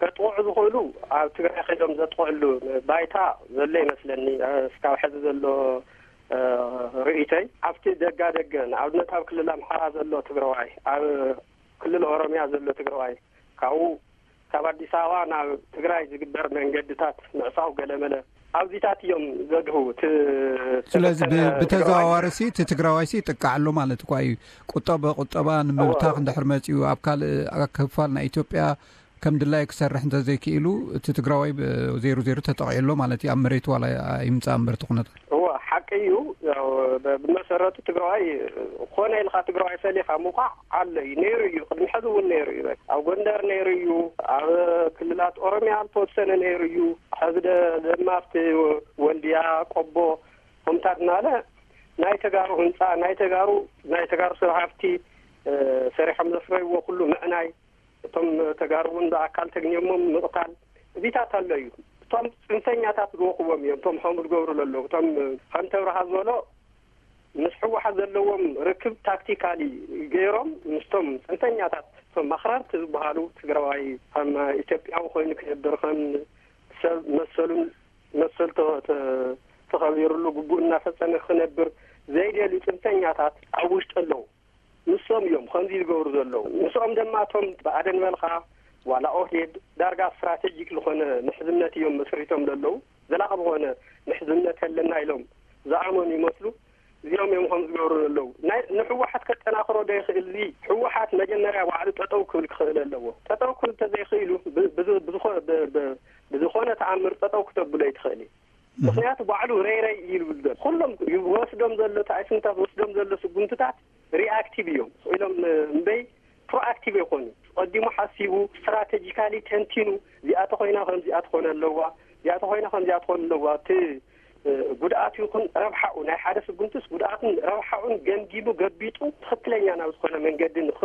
ከጥቕዑ ዝኽእሉ ኣብ ትግራይ ከይዶም ዘጥቕዕሉ ባይታ ዘሎ ይመስለኒ። እ፣ እስካብ ሕዚ ዘሎ ርእይተይ ኣብቲ ደጋ ደገ ንኣብነት ኣብ ክልል ኣምሓራ ዘሎ ትግራዋይ፣ ኣብ ክልል ኦሮሚያ ዘሎ ትግራዋይ፣ ካብኡ ካብ ኣዲስ ኣበባ ናብ ትግራይ ዝግበር መንገድታት ምዕፃው ገለመለ ኣብዚታት እዮም ዘድህቡ። ስለዚ ብተዘዋዋሪ ሲ እቲ ትግራዋይ ሲ ይጥቃዕ ኣሎ ማለት እኳ እዩ። ቁጠባ ቁጠባ ንምብታኽ እንድሕር መፂኡ ኣብ ካልእ ክፋል ናይ ኢትዮጵያ ከም ድላዩ ክሰርሕ እንተዘይክኢሉ እቲ ትግራዋይ ዘይሩ ዘይሩ ተጠቂዑ ኣሎ ማለት እዩ። ኣብ መሬቱ ዋላ ይምፃእ እምበር እቲ ኩነታት። እወ፣ ሓቂ እዩ። ያው ብመሰረቱ ትግራዋይ ኮነ ኢልካ ትግራዋይ ፈሊኻ ምውቃዕ ኣሎ እዩ፣ ነይሩ እዩ፣ ቅድሚ ሕዚ እውን ነይሩ እዩ። ኣብ ጎንደር ነይሩ እዩ፣ ኣብ ክልላት ኦሮሚያ ዝተወሰነ ነይሩ እዩ። ሕዚ ደ-፣ ደማ ኣብቲ ወልድያ፣ ቆቦ፣ ከምታት እናለ ናይ ተጋሩ ህንፃ፣ ናይ ተጋሩ፣ ናይ ተጋሩ ሰብ ሃፍቲ ሰሪሖም ዘፍረይዎ ኩሉ ምዕናይ፣ እቶም ተጋሩ እውን ብኣካል ተግንዮሞም ምቕታል፣ እዚታት ኣሎ እዩ። እቶም ፅንፈኛታት ዝወኽዎም እዮም። እቶም ከምኡ ዝገብሩ ዘለዉ፣ እቶም ከምተ ብርሃ ዝበሎ ምስ ህወሓት ዘለዎም ርክብ ታክቲካሊ ገይሮም ምስቶም ፅንፈኛታት፣ እቶም ኣኽራርቲ ዝበሃሉ ትግራዋይ ከም ኢትዮጵያዊ ኮይኑ ክነብር፣ ከም ሰብ መሰሉን መሰል ተ-፣ ተ-፣ ተኸቢሩሉ ግቡእ እናፈፀመ ክነብር ዘይደልዩ ፅንፈኛታት ኣብ ውሽጢ ኣለዉ። ንሶም እዮም ከምዚ ዝገብሩ ዘለዉ። ምስኦም ድማ እቶም ብኣደን በልኻ ዋላ ኦህዴድ ዳርጋ ስትራቴጂክ ዝኾነ ምሕዝነት እዮም መስሪቶም ዘለዉ። ዘላቒ ዝኾነ ምሕዝነት ኣለና ኢሎም ዝኣመኑ ይመስሉ። እዚኦም እዮም ከም ዝገብሩ ዘለዉ። ናይ ንሕወሓት ከጠናኽሮ ዶ ይኽእል? እዚ ሕወሓት መጀመርያ ባዕሉ ጠጠው ክብል ክኽእል ኣለዎ። ጠጠው ክብል እንተዘይኽኢሉ ብ-፣ ብዝ-፣ ብዝኾ-፣ ብ-፣ ብ-፣ ብዝኾነ ተኣምር ጠጠው ክተብሎ ኣይትኽእል እዩ። ምኽንያቱ ባዕሉ ረይረይ እዩ ዝብል ዘሎ። ኩሎም ይወስዶም ዘሎ፣ እቲ ኣይስምታት ዝወስዶም ዘሎ ስጉምትታት ሪኣክቲቭ እዮም ኢሎም እምበይ ፕሮኣክቲቭ ኣይኮኑ። ቀዲሙ ሓሲቡ ስትራቴጂካሊ ተንቲኑ እዚኣ ተኾይና ከምዚኣ ትኾነ ኣለዋ፣ እዚኣ ተኾይና ከምዚኣ ትኾነ ኣለዋ። እቲ ጉድኣት ይኹን ረብሓኡ ናይ ሓደ ስጉምትስ ጉድኣትን ረብሓኡን ገምጊሙ ገቢጡ ትኽክለኛ ናብ ዝኾነ መንገዲ ንኽ-፣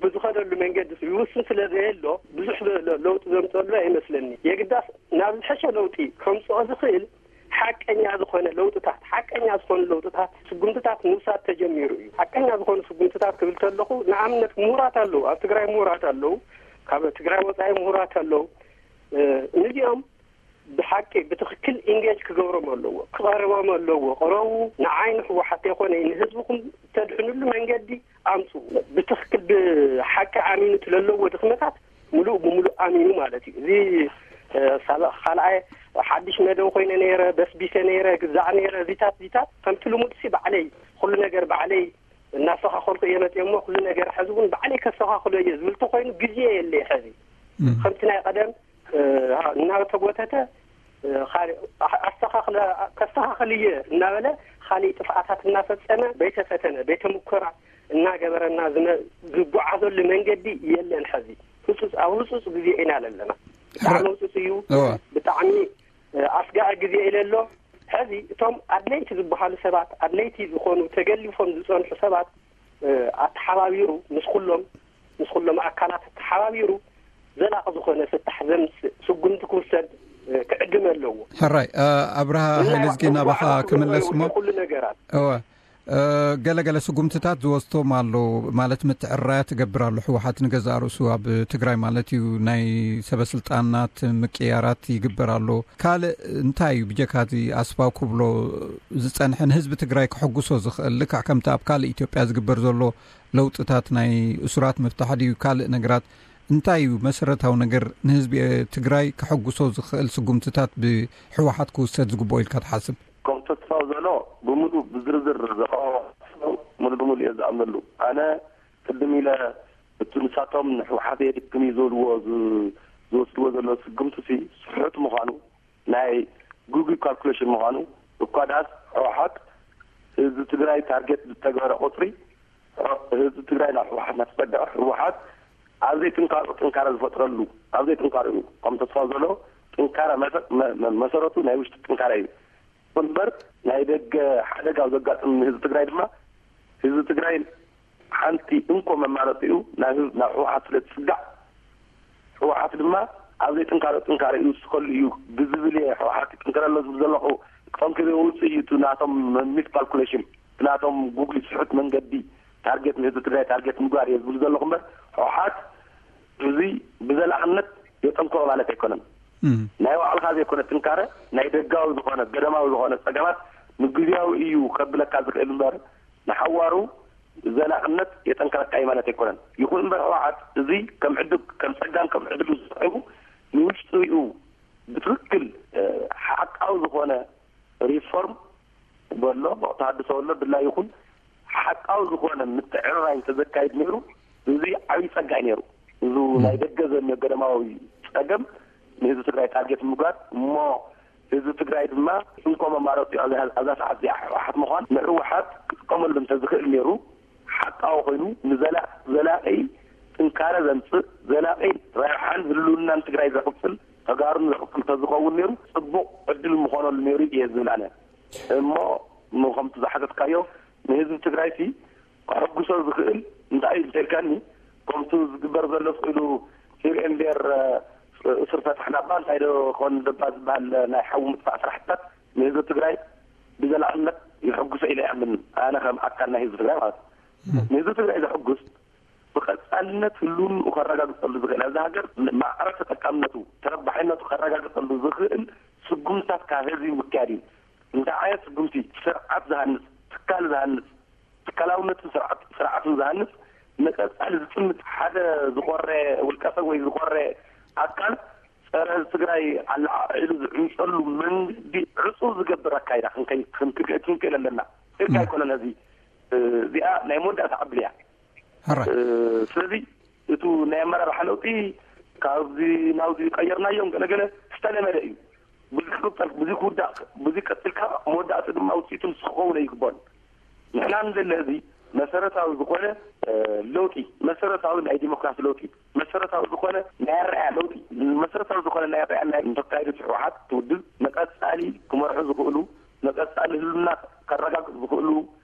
ብዝኸደሉ መንገዲ ይውስን ስለ ዘየሎ ብዙሕ ለ-፣ ለውጢ ዘምፀሉ ኣይመስለኒ። የግዳስ ናብ ዝሐሸ ለውጢ ከምፅኦ ዝኽእል ሓቀኛ ዝኾነ ለውጥታት፣ ሓቀኛ ዝኾኑ ለውጥታት፣ ስጉምትታት ምውሳድ ተጀሚሩ እዩ። ሓቀኛ ዝኾኑ ስጉምትታት ክብል ከለኹ ንኣብነት ምሁራት ኣለዉ፣ ኣብ ትግራይ ምሁራት ኣለዉ፣ ካብ ትግራይ ወፃኢ ምሁራት ኣለዉ። እ፣ ነዚኦም ብሓቂ ብትኽክል ኢንጌጅ ክገብሮም ኣለዎ፣ ክቐርቦም ኣለዎ። ቅረቡ፣ ንዓይ ንሕወሓት ተይኮነ ንህዝብኹም ተድሕንሉ መንገዲ ኣምፅኡ። ብትኽክል ብሓቂ ኣሚኑ እቲ ለለዎ ድኽመታት ምሉእ ብምሉእ ኣሚኑ ማለት እዩ። እዚ፣ እ፣ ሳላ-፣ ካልኣይ ሓድሽ መደብ ኮይነ ነይረ፣ በስቢሰ ነይረ፣ ግዛዕ ነይረ፣ እዚታት፣ እዚታት ከምቲ ልሙድ ሲ ባዕለይ፣ ኩሉ ነገር ባዕለይ እናስተኻኸልኩ እየ መፅየ እሞ፣ ኩሉ ነገር ሕዚ እውን ባዕለይ ከስተኻኽሎ እየ ዝብል ተኮይኑ ግዜ የለይ ሕዚ። እም። ከምቲ ናይ ቀደም፣ እ፣ እናተጎተተ፣ እ፣ ካሊእ፣ ኣ-፣ ኣስተኻኽለ-፣ ከስተኻኽል እየ እናበለ ካሊእ ጥፍኣታት እናፈፀመ፣ ቤተ ፈተነ፣ ቤተ ሙከራ እናገበረና ዝመ-፣ ዝጓዓዘሉ መንገዲ የለን። ሕዚ ህፁፅ፣ ኣብ ህፁፅ ግዜ ኢና ዘለና። ብጣዕሚ ህፁፅ እዩ። እወ። ብጣዕሚ፣ እ፣ ኣስጋኢ ግዜ ኢለ ኣሎ። ሕዚ እቶም ኣድለይቲ ዝበሃሉ ሰባት፣ ኣድለይቲ ዝኾኑ ተገሊፎም ዝፀንሑ ሰባት፣ እ፣ ኣተሓባቢሩ ምስ ኩሎም፣ ምስ ኩሎም ኣካላት ኣተሓባቢሩ ዘላቒ ዝኾነ ፍታሕ ዘምፅእ ስጉምቲ ክውሰድ፣ እ፣ ክዕድም ኣለዎ። ሕራይ፣ እ፣ ኣብርሃ እና ሃይለዝጊ ናባኻ ህወሓት ክምለስ እሞ። ኩሉ ነገራት። እወ፣ እ፣ ገለገለ ስጉምትታት ዝወስቶም ኣሎ ማለት ምትዕራያት ይገብር ኣሎ። ህወሓት ንገዛእ ርእሱ ኣብ ትግራይ ማለት እዩ ናይ ሰበ ስልጣናት ምቅያራት ይግበር ኣሎ። ካልእ እንታይ እዩ ብጀካ እዚ ኣስፋው ክብሎ ዝጸንሐ ንህዝቢ ትግራይ ከሐጉሶ ዝኽእል ልክዕ ከምቲ ኣብ ካልእ ኢትዮጵያ ዝግበር ዘሎ ለውጥታት ናይ እሱራት ምፍታሕ ድዩ ካልእ ነገራት እንታይ እዩ መሰረታዊ ነገር ንህዝቢ ትግራይ ከሐጉሶ ዝኽእል ስጉምትታት ብህወሓት ክውሰድ ዝግብኦ ኢልካ ትሓስብ? ከም ተስፋው ዘሎ ብምሉእ ብዝርዝር ዘቕረቦ ሓሳብ ሙሉ ብሙሉ እየ ዝኣምነሉ። ኣነ ቅድም ኢለ እቲ ንሳቶም ንህወሓት የድክም እዩ ዝብልዎ ዝ-፣ ዝወስድዎ ዘሎ ስጉምቲ ሲ ስሑት ምዃኑ ናይ ጉግል ካልኩሌሽን ምዃኑ እኳ ደኣስ ህወሓት ህዝቢ ትግራይ ታርጌት ዝተገበረ ቁፅሪ ህዝቢ ትግራይ ናብ ህወሓት እናተፀግዐ ህወሓት ኣብ ዘይጥንካርኡ ጥንካረ ዝፈጥረሉ ኣብ ዘይጥንካርኡ ከም ተስፋ ዘሎ ጥንካረ መሰ-፣ መ-፣ መ-፣ መሰረቱ ናይ ውሽጢ ጥንካረ እዩ። እምበር ናይ ደገ ሓደጋ ኣብ ዘጋጥም ህዝቢ ትግራይ ድማ ህዝቢ ትግራይ ሓንቲ እንኮ መማረፂኡ ናብ ህዝቢ፣ ናብ ህወሓት ስለ ዝፅጋዕ ህወሓት ድማ ኣብ ዘይጥንካረ ጥንካረ ይውስኸሉ እዩ ብዝብል እየ ህወሓት ይጥንክር ኣሎ ዝብል ዘለኹ። ጠንኪሩ ውፅእ እዩ እቲ ናቶም ሚስ ካልኩሌሽን፣ እቲ ናቶም ጉግሊ ስሑት መንገዲ ታርጌት ንህዝቢ ትግራይ ታርጌት ምግባር እየ ዝብል ዘለኹ እምበር ህወሓት እዚ ብዘላቕነት የጠንክሮ ማለት ኣይኮነን። እም። ናይ ባዕልኻ ዘይኮነ ጥንካረ ናይ ደጋዊ ዝኾነ ገደማዊ ዝኾነ ፀገማት ንግዜያዊ እዩ ከብለካ ዝኽእል እምበር፣ ንሓዋሩ ዘላቕነት የጠንክረካ እዩ ማለት ኣይኮነን። ይኹን እምበር፣ ህወሓት እዚ ከም ዕድል፣ ከም ጸጋን ከም ዕድል ዝሰዕቡ፣ ንውሽጢኡ ብትኽክል፣ እ፣ ሓቃዊ ዝኾነ ሪፎርም በሎ፣ ተሃድሶ በሎ፣ ድላይ ይኹን ሓቃዊ ዝኾነ ምትዕርራይ እንተዘካይድ ነይሩ፣ እዚ ዓብዪ ጸጋ እዩ ነይሩ። እዚ ናይ ደገ ዘሎ ገደማዊ ጸገም ንህዝቢ ትግራይ ታርጌት ምግባር እሞ፣ ህዝቢ ትግራይ ድማ እንኮ መማረፂ ኣብዛ፣ ኣብዛ ሰዓት እዚኣ ህወሓት ምዃን፣ ንህወሓት ክጥቀመሉ እንተዝኽእል ነይሩ፣ ሓቃዊ ኮይኑ ንዘላ-፣ ዘላቂ ጥንካረ ዘምፅእ፣ ዘላቂ ረብሓን ህልውናን ትግራይ ዘቕፅል፣ ተጋሩን ዘቕፅል ተዝኸውን ነይሩ፣ ፅቡቕ ዕድል ምኾነሉ ነይሩ እየ ዝብል ኣነ። እሞ፣ እሞ ከምቲ ዝሓተትካዮ፣ ንህዝቢ ትግራይ ሲ ከሐጉሶ ዝኽእል እንታይ እዩ እንተልካኒ፣ ከምቱ ዝግበር ዘሎ ስኢሉ ሂር ኤንድ ዴር፣ እ፣ እሱር ፈታሕና እባ እንታይ ዶ ኮን ደባ ዝበሃል ናይ ሓዊ ምጥፋእ ስራሕትታት ንህዝቢ ትግራይ ብዘላቕነት የሐጉሶ ኢለ ይኣምን። ኣነ ከም ኣካል ናይ ህዝቢ ትግራይ ማለት እዩ። ንህዝቢ ትግራይ ዘሐጉስ ብቐጻልነት ህልውንኡ ከረጋግጸሉ ዝኽእል፣ ኣብዛ ሃገር ማዕረ ተጠቃምነቱ፣ ተረባሓይነቱ ከረጋግጸሉ ዝኽእል ስጉምታት ካብ ህዝቢ ምክያድ እዩ። እንታይ ዓይነት ስጉምቲ? ስርዓት ዝሃንጽ፣ ትካል ዝሃንጽ፣ ትካላውነትን ስርዓት-፣ ስርዓትን ዝሃንጽ፣ ንቀጻሊ ዝጥምት፣ ሓደ ዝኾረ ውልቀሰብ ወይ ዝኾረ ኣካል ጸረ ህዝቢ ትግራይ ኣለዓዒሉ ዝዕምጸሉ መንገዲ ዕጹው ዝገብር ኣካይዳ ክንከይ-፣ ክንክ-፣ ክንክእል ኣለና። ኢልካ ኣይኮነን። እዚ፣ እ፣ እዚኣ ናይ መወዳእታ ዕድል እያ። ሕራይ። እ፣ ስለዚ እቱ ናይ ኣመራርሓ ለውጢ ካብዚ ናብዚ ቀየርናዮም ገለገለ ዝተለመደ እዩ። ብዙሕ ክቕጸል፣ ብዙሕ ክውዳእ፣ ብዙሕ ቀጽልካ መወዳእቱ ድማ ውፅኢቱ ንሱ ክኸውን ኣይግባን። ንሕና ንደለ እዚ መሰረታዊ ዝኾነ፣ እ፣ ለውጢ፣ መሰረታዊ ናይ ዲሞክራሲ ለውጢ፣ መሰረታዊ ዝኾነ ናይ ኣረኣያ ለውጢ፣ መሰረታዊ ዝኾነ ናይ ኣረኣያ ናይ ተካይዶ ህወሓት ትውድብ መቀጻሊ ክመርሑ ዝኽእሉ፣ መቀጻሊ ህልውና ከረጋግጽ ዝኽእሉ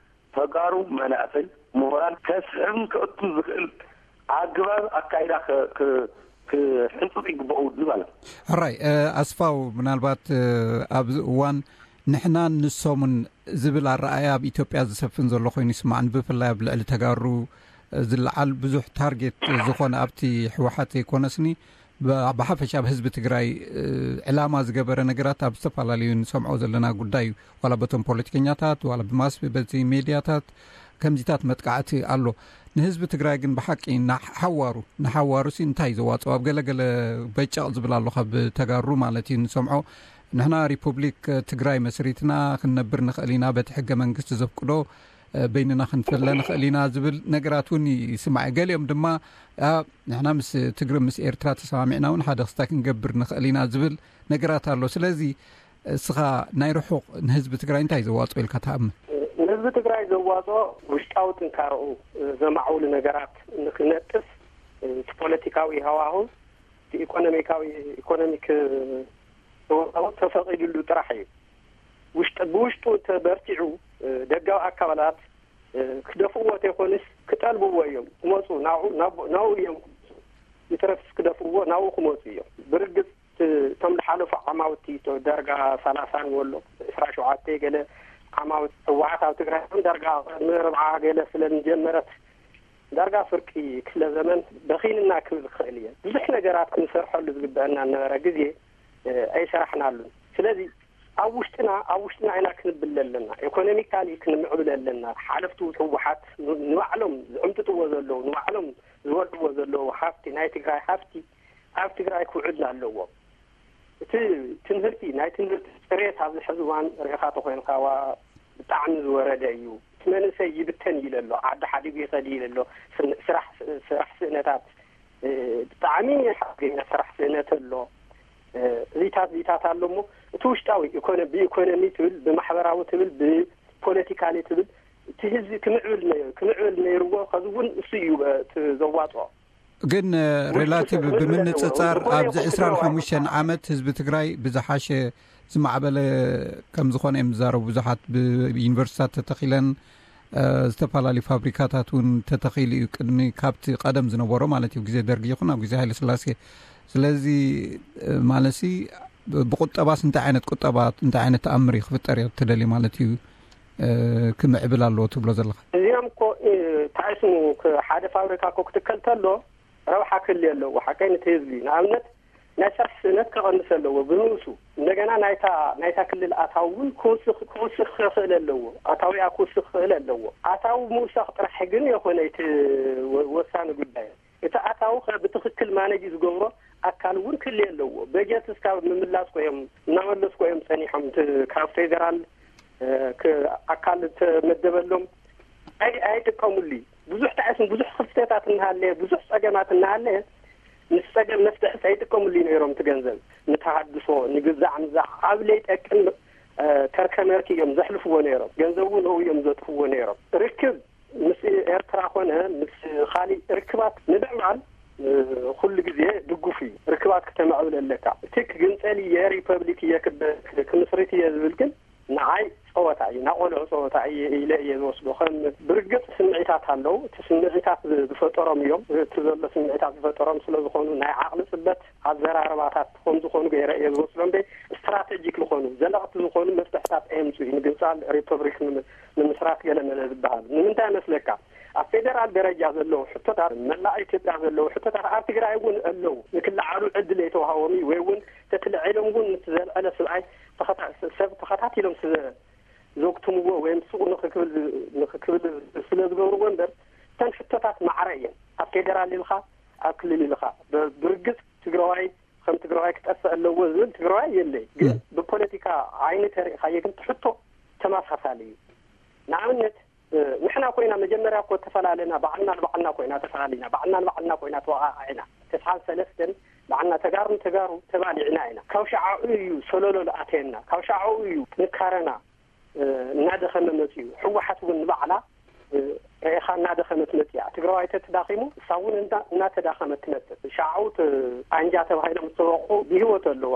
ተጋሩ መናእሰይ ምሁራን ከስሕብን ከእቱን ዝኽእል ኣግባብ ኣካይዳ ክ-፣ ክ-፣ ክሕንጽጽ ይግባኡ ማለት። ሕራይ፣ እ፣ ኣስፋው፣ ምናልባት፣ እ፣ ኣብዚ እዋን ንሕናን ንሶምን ዝብል ኣረኣእያ ኣብ ኢትዮጵያ ዝሰፍን ዘሎ ኮይኑ ይስማዕን፣ ብፍላይ ኣብ ልዕሊ ተጋሩ፣ እ፣ ዝለዓል ብዙሕ ታርጌት ዝኾነ ኣብቲ ህወሓት ዘይኮነስኒ፣ ብ-፣ ብሓፈሻ ኣብ ህዝቢ ትግራይ፣ እ፣ ዕላማ ዝገበረ ነገራት ኣብ ዝተፈላለዩ ንሰምዖ ዘለና ጉዳይ እዩ። ዋላ በቶም ፖለቲከኛታት፣ ዋላ ብማስ፣ በቲ ሜድያታት ከምዚታት መጥቃዕቲ ኣሎ። ንህዝቢ ትግራይ ግን ብሓቂ ንሓዋሩ፣ ንሓዋሩሲ እንታይ ዘዋፅኦ? ኣብ ገለገለ በጨቕ ዝብል ኣሎ፣ ካብ ተጋሩ ማለት እዩ ንሰምዖ። ንሕና ሪፑብሊክ ትግራይ መስሪትና ክንነብር ንኽእል ኢና፣ በቲ ሕገ መንግስቲ ዘፍቅዶ፣ እ፣ በይንና ክንፍለ ንኽእል ኢና ዝብል ነገራት እውን ይስማዕ። ገሊኦም ድማ፣ ኣ፣ ንሕና ምስ ትግሪ፣ ምስ ኤርትራ ተሰማሚዕና እውን ሓደ ክስታይ ክንገብር ንኽእል ኢና ዝብል ነገራት ኣሎ። ስለዚ እስኻ ናይ ርሑቕ ንህዝቢ ትግራይ እንታይ ዘዋፅኦ ኢልካ ትኣምን? ንህዝቢ ትግራይ ዘዋፅኦ ውሽጣዊ ጥንካረኡ ዘማዕውሉ ነገራት ንክነጥፍ፣ እቲ ፖለቲካዊ ሃዋህው፣ እቲ ኢኮኖሚካዊ፣ ኢኮኖሚክ ሃዋህው ተፈቒዱሉ ጥራሕ እዩ። ውሽጢ፣ ብውሽጡ ተበርቲዑ፣ ደጋዊ ኣካላት ክደፍእዎ ተይኮኑስ ክጠልብዎ እዮም ክመፁ፣ ናብኡ፣ ናብ-፣ ናብኡ እዮም ክመፁ። ይትረፍስ ክደፍእዎ ናብኡ ክመፁ እዮም። ብርግፅ እቲ፣ እቶም ዝሓለፉ ዓማውቲ፣ እቶ ደርጋ ሰላሳን ወሎ ዕስራ ሸውዓተ ገለ ዓማውቲ ህወሓት ኣብ ትግራይ፣ ደርጋ ቅድሚ ርብዓ ገለ ስለ ዝጀመረት፣ ዳርጋ ፍርቂ ክፍለ ዘመን በኺንና ክብል ክኽእል እየ። ብዙሕ ነገራት ክንሰርሐሉ ዝግበአና ዝነበረ ግዜ፣ እ፣ ኣይሰራሕናሉን። ስለዚ ኣብ ውሽጥና፣ ኣብ ውሽጥና ኢና ክንብል ኣለና። ኢኮኖሚካሊ ክንምዕብል ኣለና። ሓለፍቱ ህወሓት ን-፣ ንባዕሎም ዝዕምጥጥዎ ዘለዉ፣ ንባዕሎም ዝበልዕዎ ዘለዉ ሃፍቲ፣ ናይ ትግራይ ሃፍቲ ኣብ ትግራይ ክውዕል ኣለዎ። እቲ ትምህርቲ፣ ናይ ትምህርቲ ፅሬት ኣብዚ ሕዚ እዋን ርኢኻ ተኾይንካ፣ ዋ፣ ብጣዕሚ ዝወረደ እዩ። እቲ መንእሰይ ይብተን ኢለ ኣሎ፣ ዓዲ ሓዲጉ ይኸድ ኢለ ኣሎ። ስን-፣ ስራሕ፣ ስራሕ ስእነታት፣ እ፣ ብጣዕሚ ሓደገኛ ስራሕ ስእነት ኣሎ። እ፣ እዚታት፣ እዚታት ኣሎ እሞ፣ እቲ ውሽጣዊ ኢኮኖ-፣ ብኢኮኖሚ ትብል፣ ብማሕበራዊ ትብል፣ ብፖለቲካሊ ትብል፣ እቲ ህዝቢ ክምዕብል ነ-፣ ክምዕብል ነይርዎ። ከዚ እውን እሱ እዩ፣ እ፣ እቲ ዘዋፅኦ። ግን፣ እ፣ ውሽጡ ሬላቲቭ ሰብ ብምንፅፃር ዝኾነ ኣብዚ ይኹን ዕስራን ሓሙሽተን ዓመት ህዝቢ ትግራይ ብዝሓሸ ዝማዕበለ ከም ዝኾነ እዮም ዝዛረቡ ብዙሓት። ብዩኒቨርሲቲታት ተተኺለን፣ እ፣ ዝተፈላለዩ ፋብሪካታት እውን ተተኺሉ እዩ፣ ቅድሚ ካብቲ ቀደም ዝነበሮ ማለት እዩ፣ ግዜ ደርጊ ይኹን ኣብ ግዜ ሃይለ ስላሴ። ስለዚ፣ እ፣ ማለትሲ ብ-፣ ብቁጠባስ እንታይ ዓይነት ቁጠባ፣ እንታይ ዓይነት ተኣምር እዩ ክፍጠር እዮ ትደሊ ማለት እዩ፣ እ፣ ክምዕብል ኣለዎ ትብሎ ዘለኻ? እዚኦም እኮ፣ እ፣ እንታይ ስሙ፣ ክ-፣ ሓደ ፋብሪካ እኮ ክትከል ተሎ ረብሓ ክህልዮ ኣለዎ። ሓቀይ ነቲ ህዝቢ፣ ንኣብነት፣ ናይ ስራሕ ስእነት ከቐንስ ኣለዎ ብንኡሱ። እንደገና ናይታ ናይታ ክልል ኣታዊ እውን ክውስኽ ክውስኽ ክኽእል ኣለዎ። ኣታዊኣ ክውስኽ ክኽእል ኣለዎ። ኣታዊ ምውሳኽ ጥራሕ ግን የኾነ እቲ ወ- ወሳኒ ጉዳይ። እቲ ኣታዊ ከ ብትኽክል ማነጅ ዝገብሮ ኣካል እውን ክልየ ኣለዎ። በጀት እስካብ ምምላስ ኮይም እናመለስኩ እዮም ጸኒሖም። እቲ ካብ ፌደራል እ፣ ክ- ኣካል ተመደበሎም ኣይ- ኣይጥቀሙሉ። ብዙሕ ጣዕስን ብዙሕ ክፍተታት እናሃለየ ብዙሕ ጸገማት እናሃለየ ምስ ጸገም መፍትሒ ኣይጥቀሙሉ ነይሮም። እቲ ገንዘብ ንተሃድሶ ንግዛዕ ምዛዕ ኣብ ለይጠቅም እ፣ ከርከመርክ እዮም ዘሕልፍዎ ነይሮም። ገንዘቡ ንኡ እዮም ዘጥፍዎ ነይሮም። ርክብ ምስ ኤርትራ ኮነ ምስ ካሊእ ርክባት ንምዕባል እ፣ ኩሉ ግዜ ድጉፍ እዩ። ርክባት ክተማዕብል ኣለካ። እቲ ክግንጸል እየ ሪፐብሊክ እየ ክበ- ክምስርት እየ ዝብል ግን ንዓይ ጸወታ እዩ፣ ናቆልዑ ጸወታ እየ ኢለ እየ ዝወስዶ። ከም ብርግጽ ስምዒታት ኣለዉ። እቲ ስምዒታት ዝ- ዝፈጠሮም እዮም። እቲ ዘሎ ስምዒታት ዝፈጠሮም ስለ ዝኾኑ ናይ ዓቕሊ ጽበት ኣዘራርባታት ከም ዝኾኑ ገይረ እየ ዝወስዶ። እንደ ስትራቴጂክ ዝኾኑ ዘለቕቲ ዝኾኑ መፍትሕታት ኣየምጽኡ እዩ። ምግንጻል ሪፐብሊክ ንም- ንምስራት ገለ መለ ዝበሃል ንምንታይ መስለካ? ኣብ ፌደራል ደረጃ ዘለዉ ሕቶታት መላእ ኢትዮጵያ ዘለዉ ሕቶታት ኣብ ትግራይ እውን ኣለዉ። ንክለዓሉ ዕድል የተዋሃቦም እዩ ወይ እውን ተትልዒሎም እውን ምስ ዘልዐለ ስብኣይ ተኸታ- ሰብ ተኸታቲሎም ስለ ዘግትምዎ ወይም ሱቕ ንኽክብል ንኽክብል ስለ ዝገብርዎ እምበር እተን ሕቶታት ማዕረ እየን። ኣብ ፌደራል ኢልኻ ኣብ ክልል ኢልኻ ብ- ብርግጽ ትግራዋይ ከም ትግራዋይ ክጠፍእ ኣለዎ ዝብል ትግራዋይ የለይ። ግን ብፖለቲካ ዓይኒ ተሪእኻዮ ግን ትሕቶ ተመሳሳሊ እዩ። ንኣብነት ንሕና ኮይና መጀመርያ እኮ ተፈላለና ባዕልና ንባዕልና ኮይና ተፈላለና ባዕልና ንባዕልና ኮይና ተወቃቂዕና ተስሓን ሰለስተን ባዕልና ተጋሩ ንተጋሩ ተባሊዕና ኢና። ካብ ሻዕኡ እዩ ሰለሎ ዝኣተየና። ካብ ሻዕኡ እዩ ጥንካረና እናደኸመ መፅኡ። ህወሓት እውን ንባዕላ ርኢኻ እናደኸመት መፅያ። ትግራዋይ ተተዳኺሙ እሳ እውን እናተዳኸመት ትመፅእ። ሻዕኡ ኣንጃ ተባሂሎም ዝተወቑ ብህይወት ኣለዉ።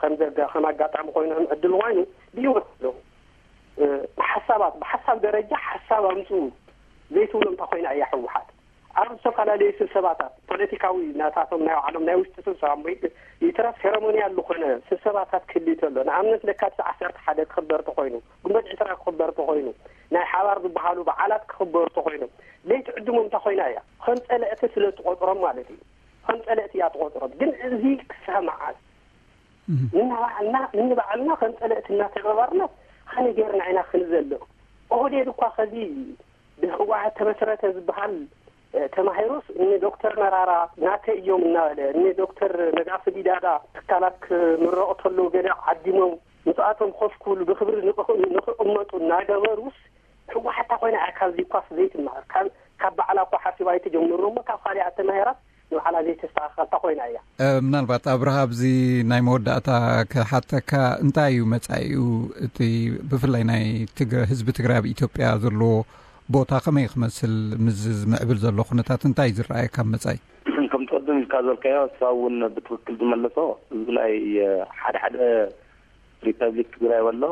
ከም ዘጋ ከም ኣጋጣሚ ኮይኖም ዕድል ኮይኑ ብህይወት ኣለዉ። ሓሳባት ብሓሳብ ደረጃ ሓሳብ ኣምፅኡ ዘይትብሎ እንታይ ኮይና እያ ህወሓት? ኣብ ዝተፈላለዩ ስብሰባታት ፖለቲካዊ ናታቶም ናይ ባዕሎም ናይ ውሽጢ ስብሰባ እሞ ይትረፍ ሴረሞኒያል ዝኾነ ስብሰባታት ክህልዩ ተሎ ንኣብነት ለካቲት ዓሰርተ ሓደ ክኽበር ተኾይኑ ግንቦት ዕስራ ክኽበር ተኾይኑ ናይ ሓባር ዝበሃሉ በዓላት ክኽበሩ ተኾይኖም ዘይትዕድሞም እንታይ ኮይና እያ? ከም ፀለእቲ ስለ ትቆፅሮም ማለት እዩ። ከም ፀለእቲ እያ ትቆፅሮም። ግን እዚ ክሳብ መዓስ ንባዕልና ንባዕልና ከም ፀለእቲ እናተገባርና ከመይ ጌርና ኢና ክንዘልቕ? ኦህዴድ እኳ ከዚ ብህወሓት ተመስረተ ዝበሃል ተማሂሩስ እኒ ዶክተር መራራ ናተ እዮም እናበለ እኒ ዶክተር ነጋሲ ጊዳዳ ትካላት ክምረቑ ተለዉ ገለ ዓዲሞም ምስኣቶም ኮፍ ክብሉ ብክብሪ ንቕቕመጡ እናገበሩስ ህወሓት እታ ኮይና እያ ካብዚ እኳስ ዘይትመሃር ካብ ባዕላ እኳ ሓሲባ ኣይትጀምሮ እሞ ካብ ካሊእ ኣተማሂራስ ንባዕላ ዘይተስተኻኸልታ ኮይና እያ። ምናልባት ኣብርሃ ኣብዚ ናይ መወዳእታ ክሓተካ እንታይ እዩ መጻኢኡ እቲ ብፍላይ ናይ ህዝቢ ትግራይ ኣብ ኢትዮጵያ ዘለዎ ቦታ ከመይ ክመስል ምስ ዝምዕብል ዘሎ ኩነታት እንታይ እዩ ዝረኣየካ ኣብ መጻኢ? ከም ትቐድም ኢልካ ዝበልካዮ እሳ እውን ብትክክል ዝመለሶ እዚ ናይ ሓደ ሓደ ሪፐብሊክ ትግራይ በሎ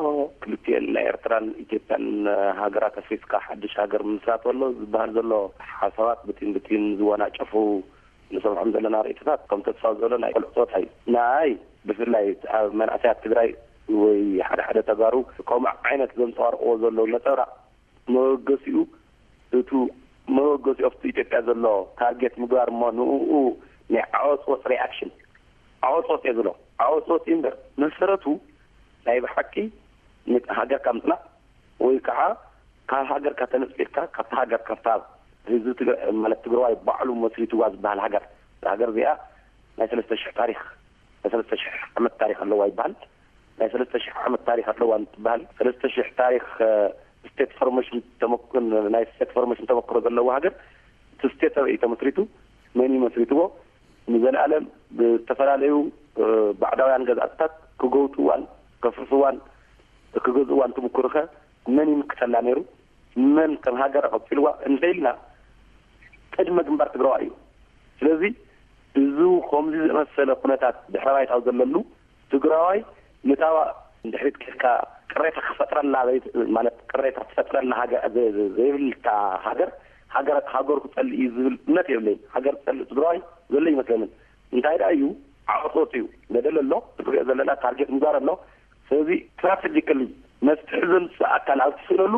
ክልቲኤን ናይ ኤርትራን ኢትዮጵያን ሃገራት ኣፍሪካ ሓድሽ ሃገር ምስራት በሎ ዝበሃል ዘሎ ሓሳባት ብቲን ብቲን ዝወናጨፉ ንሰምዖም ዘለና ርእይቶታት ከም ተስፋ ዘሎ ናይ ቆልዑ ፀወታ እዩ። ናይ ብፍላይ ኣብ መናእሰያት ትግራይ ወይ ሓደ ሓደ ተጋሩ ከምኡ ዓይነት ዘንፀባርቅዎ ዘለዉ ነፀብራቅ መበገሲኡ እቱ መበገሲኡ ኣብቲ ኢትዮጵያ ዘሎ ታርጌት ምግባር እሞ ንኡ ናይ ዓወፅወፅ ሪኣክሽን ዓወፅወፅ እየ ዝብሎ። ዓወፅወፅ እዩ እምበር መሰረቱ ናይ ብሓቂ ሃገርካ ምፅናዕ ወይ ከዓ ካብ ሃገርካ ተነፂልካ ካብቲ ሃገር ካብታ ህዝቢ ማለት ትግራዋይ ባዕሉ መስሪትዋ ዝበሃል ሃገር ሃገር እዚኣ ናይ ሰለስተ ሽሕ ታሪክ ናይ ሰለስተ ሽሕ ዓመት ታሪክ ኣለዋ ይበሃል። ናይ ሰለስተ ሽሕ ዓመት ታሪክ ኣለዋ እንትበሃል ሰለስተ ሽሕ ታሪክ ስቴት ፎርሜሽን ናይ ስቴት ፎርሜሽን ተመክሮ ዘለዎ ሃገር እቲ ስቴት ኣበይ ተመስሪቱ መን እዩ መስሪትዎ ንዘለኣለም ብዝተፈላለዩ ባዕዳውያን ገዛእትታት ክገውፅዋን ከፍርስዋን ክገዝእዋን ትምክርኸ መን ይምክተላ ነይሩ መን ከም ሃገር ኣቐፂልዋ እንተኢልና ቅድመ ግንባር ትግራዋ እዩ። ስለዚ እዚ ከምዚ ዝመሰለ ኩነታት ድሕረ ባይታው ዘለሉ ትግራዋይ ንታዋ እንድሕሪት ኬድካ ቅሬታ ክፈጥረላ ማለት ቅሬታ ትፈጥረላ ዘይብልካ ሃገር ሃገሩ ክፀልእ እዩ ዝብል እምነት የብለይን። ሃገር ዝፀልእ ትግራዋይ ዘሎ ይመስለንን። እንታይ ደኣ እዩ ዓወት ወፂኡ ገደል ኣሎ ትሪኦ ዘለና ታርጌት ምዛር ኣሎ። ስለዚ ስትራቴጂካሊ መፍትሒ ዘምፅእ ኣካል ኣብ ትስእነሉ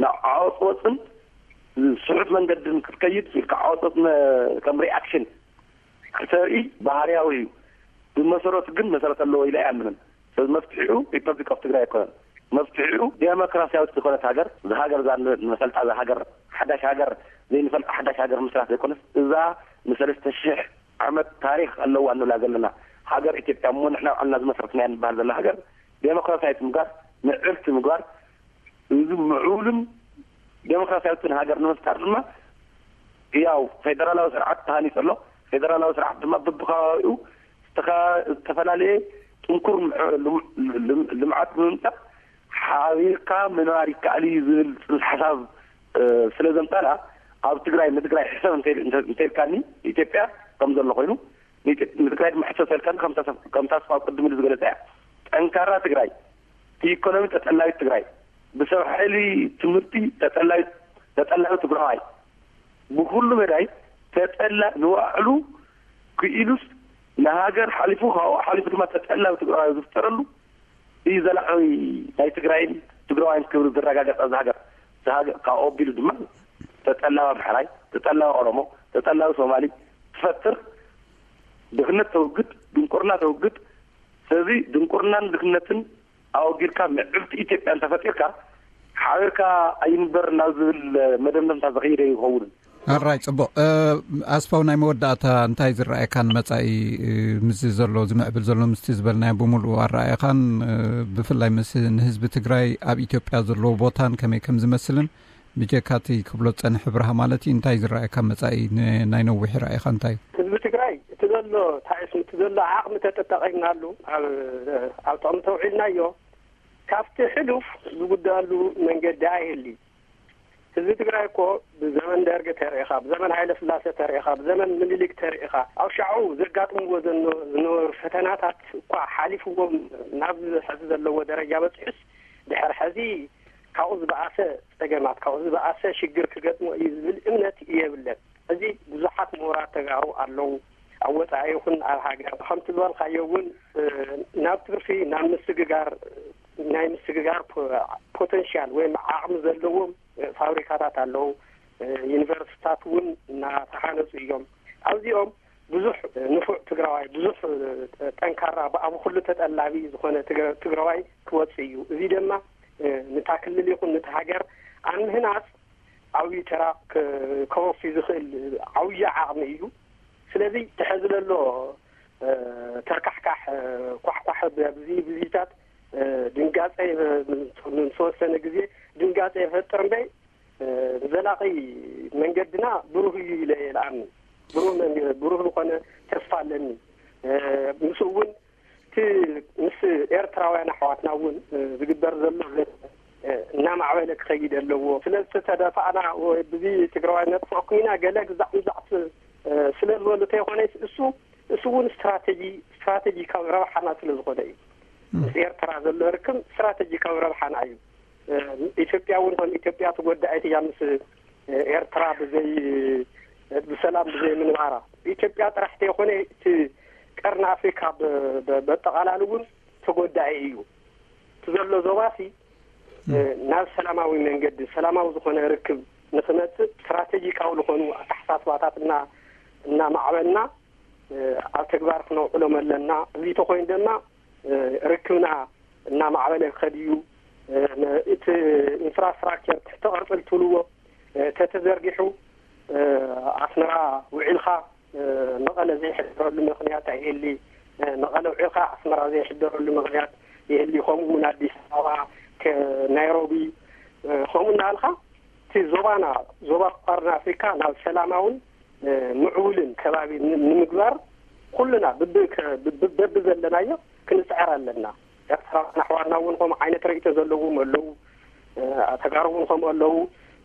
ናብ ዓወት ወፅን ስሑት መንገድን ክትከይድ ኢልካ ዓወት ወፅ ከም ሪኣክሽን ክተርኢ ባህርያዊ እዩ። ብመሰረቱ ግን መሰረት ኣለዎ ኢለ ኣይኣምንን። ስለዚ መፍትሒኡ ሪፐብሊክ ኦፍ ትግራይ ኣይኮነን። መፍትሒኡ ዴሞክራሲያዊት ዝኾነት ሃገር፣ እዛ ሃገር እዛ ንፈልጣ፣ እዛ ሃገር ሓዳሽ ሃገር፣ ዘይንፈልጣ ሓዳሽ ሃገር ምስራት ዘይኮነስ፣ እዛ ንሰለስተ ሽሕ ዓመት ታሪኽ ኣለዋ እንብላ ዘለና ሃገር ኢትዮጵያ እሞ ንሕና ባዕልና ዝመስረትናያ እንበሃል ዘለና ሃገር ዴሞክራሲያዊት ምግባር፣ ምዕብልቲ ምግባር፣ እዚ ምዕቡልን ዴሞክራሲያዊትን ሃገር ንምፍጣር ድማ ያው ፌደራላዊ ስርዓት ተሃኒፁ ኣሎ። ፌደራላዊ ስርዓት ድማ በብከባቢኡ ዝተኻ-፣ ዝተፈላለየ ጥንኩር ምዕ-፣ ልም-፣ ልም-፣ ልምዓት ብምምፃእ ሓቢርካ ምንባር ይከኣል እዩ ዝብል ፅንሰ ሓሳብ፣ እ፣ ስለ ዘምፃና ኣብ ትግራይ፣ ንትግራይ ሕሰብ እንተ-፣ እንተ-፣ እንተኢልካኒ ኢትዮጵያ ከም ዘሎ ኮይኑ ንኢትዮ-፣ ንትግራይ ድማ ሕሰብ ተልካኒ ከም ተሰ-፣ ከም ተስፋ ቅድም ኢሉ ዝገለፀ እያ። ጠንካራ ትግራይ፣ ኢኮኖሚ ተጠላቢት ትግራይ፣ ብሰብ ሓይሊ ትምህርቲ ተጠላቢት፣ ተጠላቢ ትግራዋይ፣ ብኩሉ መዳይ ተጠላ-፣ ንባዕሉ ክኢሉስ ንሃገር ሓሊፉ፣ ካብኡ ሓሊፉ ድማ ተጠላቢ ትግራዋይ ዝፍጠረሉ እዩ ዘላቒ ናይ ትግራይን ትግራዋይን ክብሪ ዝረጋገፅ ኣብዚ ሃገር። እዚ ሃገር ካብኡ ኣቢሉ ድማ ተጠላቢ ኣምሓራይ፣ ተጠላቢ ኦሮሞ፣ ተጠላቢ ሶማሊ ትፈጥር፣ ድኽነት ተውግድ፣ ድንቁርና ተውግድ። ስለዚ ድንቁርናን ድኽነትን ኣወጊድካ ምዕብልቲ ኢትዮጵያ እንተፈጢርካ ሓቢርካ ኣይንበር ናብ ዝብል መደምደምታ ዘኸይደ ይኸውን። ኣራይ፣ ጽቡቕ። እ፣ ኣስፋው፣ ናይ መወዳእታ እንታይ ዝረኣየካ ንመጻኢ፣ እ፣ ምስዚ ዘሎ ዝምዕብል ዘሎ ምስቲ ዝበልናዮ ብምሉኡ ኣረኣየኻን፣ እ፣ ብፍላይ ምስ ንህዝቢ ትግራይ ኣብ ኢትዮጵያ ዘለዎ ቦታን ከመይ ከም ዝመስልን ብጀካ እቲ ክብሎ ዝጸንሐ ብርሃ ማለት እዩ፣ እንታይ ዝረኣየካ መጻኢ ን-፣ ናይ ነዊሕ ራእይኻ እንታይ እዩ? ህዝቢ ትግራይ እቲ ዘሎ ታይስ እቲ ዘሎ ዓቕሚ ተጠቀምናሉ ኣብ፣ ኣብ ጥቕሚ ተውዒልናዮ ካብቲ ሕሉፍ ዝጉዳሉ መንገዲ ኣይህሊ። ህዝቢ ትግራይ እኮ ብዘመን ደርግ ተርእኻ፣ ብዘመን ሃይለ ስላሴ ተርእኻ፣ ብዘመን ምኒልክ ተርእኻ ኣብ ሻዑ ዘጋጥምዎ ዘኖ-፣ ዝነበሩ ፈተናታት እኳ ሓሊፍዎም ናብ ሕዚ ዘለዎ ደረጃ በፂሑስ ድሕሪ ሕዚ ካብኡ ዝበኣሰ ጸገማት፣ ካብኡ ዝበኣሰ ሽግር ክገጥሞ እዩ ዝብል እምነት የብለን። እዚ ብዙሓት ምሁራት ተጋሩ ኣለዉ፣ ኣብ ወጻኢ ይኹን ኣብ ሃገር። ከምቲ ዝበልካዮ እውን፣ እ፣ ናብ ትርፊ፣ ናብ ምስግጋር፣ ናይ ምስግጋር ፖ-፣ ፖተንሻል ወይም ዓቕሚ ዘለዎም፣ እ፣ ፋብሪካታት ኣለዉ። እ፣ ዩኒቨርሲቲታት እውን እናተሃነጹ እዮም። ኣብዚኦም ብዙሕ ንፉዕ ትግራዋይ፣ ብዙሕ ጠንካራ፣ ብኣብ ኩሉ ተጠላቢ ዝኾነ ትግረ-፣ ትግራዋይ ክወጽእ እዩ። እዚ ድማ፣ እ፣ ንታ ክልል ይኹን ነቲ ሃገር ኣብ ምህናጽ ዓብዪ ተራ ክ-፣ ከወፊ ዝኽእል ዓብዪ ዓቕሚ እዩ። ስለዚ እቲ ሕዚ ዘሎ፣ እ፣ ተርካሕካሕ፣ እ፣ ኳሕኳሕ ብ-፣ ብዚ-፣ ብዚታት፣ እ፣ ድንጋጸ ይፈ-፣ ንዝተወሰነ ግዜ ድንጋጸ ይፈጥር እምበይ፣ እ፣ ዘላቒ መንገድና ብሩህ እዩ ኢለ እየ ዝኣምን። ብሩህ መንገ-፣ ብሩህ ዝኾነ ተስፋ ኣለኒ። እ፣ ምስኡ እውን እቲ ምስ ኤርትራውያን ኣሕዋትና እውን፣ እ፣ ዝግበር ዘሎ ዘተ፣ እ፣ እናማዕበለ ክኸይድ ኣለዎ። ስለ ዝተደፋእና ወይ ብዚ ትግራዋይ ነጥፍኦኩም ኢና ገለ ግዛዕ ምዛዕ ስ-፣ እ፣ ስለ ዝበሉ ተይኮነ እሱ፣ እሱ እውን ስትራቴጂ፣ ስትራቴጂካዊ ረብሓና ስለ ዝኾነ እዩ። ም። ምስ ኤርትራ ዘሎ ርክብ ስትራቴጂካዊ ረብሓና እዩ። እ፣ ኢትዮጵያ እውን ከም ኢትዮጵያ ተጎዳኢት እያ ምስ፣ እ፣ ኤርትራ ብዘይ፣ ብሰላም ብዘይ ምንባራ። ኢትዮጵያ ጥራሕ ተይኮነ እቲ ቀርኒ ኣፍሪካ ብ-፣ ብ-፣ በጠቓላሊ እውን ተጎዳኢ እዩ። እቲ ዘሎ ዞባሲ፣ እ፣ ናብ ሰላማዊ መንገዲ፣ ሰላማዊ ዝኾነ ርክብ ንክመፅእ ስትራቴጂካዊ ዝኾኑ ኣተሓሳስባታት እና-፣ እናማዕበልና፣ እ፣ ኣብ ተግባር ክነውዕሎም ኣለና። እዚ ተኮይኑ ድማ፣ እ፣ ርክብና እናማዕበለ ክኸድ እዩ። እ፣ ነ-፣ እቲ ኢንፍራስትራክቸር ትሕተ ቅርፂ ትብልዎ፣ እ፣ ተተዘርጊሑ፣ እ፣ ኣስመራ ውዒልካ፣ እ፣ መቐለ ዘይሕደረሉ ምኽንያት ኣይህሊ። እ፣ መቐለ ውዒልካ ኣስመራ ዘይሕደረሉ ምኽንያት ይህሊ። ከምኡ እውን ኣዲስ ኣበባ፣ ከ-፣ ናይሮቢ፣ እ፣ ከምኡ እናበልካ እቲ ዞባና፣ ዞባ ቀርኒ ኣፍሪካ ናብ ሰላማውን፣ እ፣ ምዕቡልን ከባቢ ን-፣ ንምግባር ኩልና ብብ-፣ ከ-፣ ብብ-፣ በብዘለናዮ ክንፅዕር ኣለና። ኤርትራውያን ኣሕዋትና እውን ከምኡ ዓይነት ርእይቶ ዘለዎም ኣለዉ። እ፣ ተጋሩ እውን ከምኡ ኣለዉ።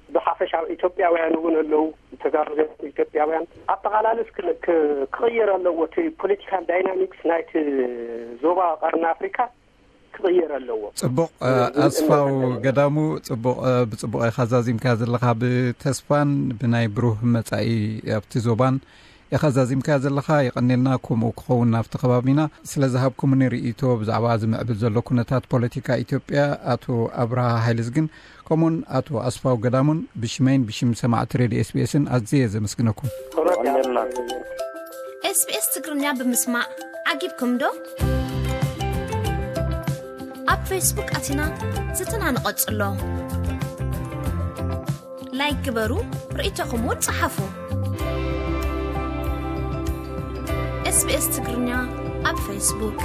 ብሓፈሻ ኢትዮጵያውያን እውን ኣለዉ። ተጋሩ ዘይኮኑ ኢትዮጵያውያን ኣጠቓላሊ እስክ-፣ ክ-፣ ክቕየር ኣለዎ። እቲ ፖለቲካል ዳይናሚክስ ናይቲ ዞባ ቀርኒ ኣፍሪካ ክቕየር ኣለዎ። ጽቡቕ፣ እ፣ እ፣ ኣስፋው እምነት ኣለዎ። ገዳሙ፣ ጽቡቕ፣ እ፣ ብጽቡቕ ኢኻ ዛዚምካ ዘለኻ። ብተስፋን ብናይ ብሩህ መጻኢ ኣብቲ ዞባን ኢኻ ዛዚምካ ዘለኻ። የቐኔልና፣ ከምኡ ክኸውን ናብቲ ከባቢና። ስለ ዝሃብኩምኒ ርእይቶ ብዛዕባ ዝምዕብል ዘሎ ኩነታት ፖለቲካ ኢትዮጵያ፣ ኣቶ ኣብርሃ ሃይለዝግን ከምኡን ኣቶ ኣስፋው ገዳሙን ብሽመይን ብሽም ሰማዕቲ ሬድዮ ኤስቢኤስን ኣዝየ ዘመስግነኩም። የቐኔልና። ኤስቢኤስ ትግርኛ ብምስማዕ ዓጊብኩም ዶ? ኣብ ፌስቡክ ኣቲና ዝትና ንቐጽሎ። ላይክ ግበሩ፣ ርእይቶኹም እውን ጸሓፉ። SBS ትግርኛ ኣብ ፌስቡክ።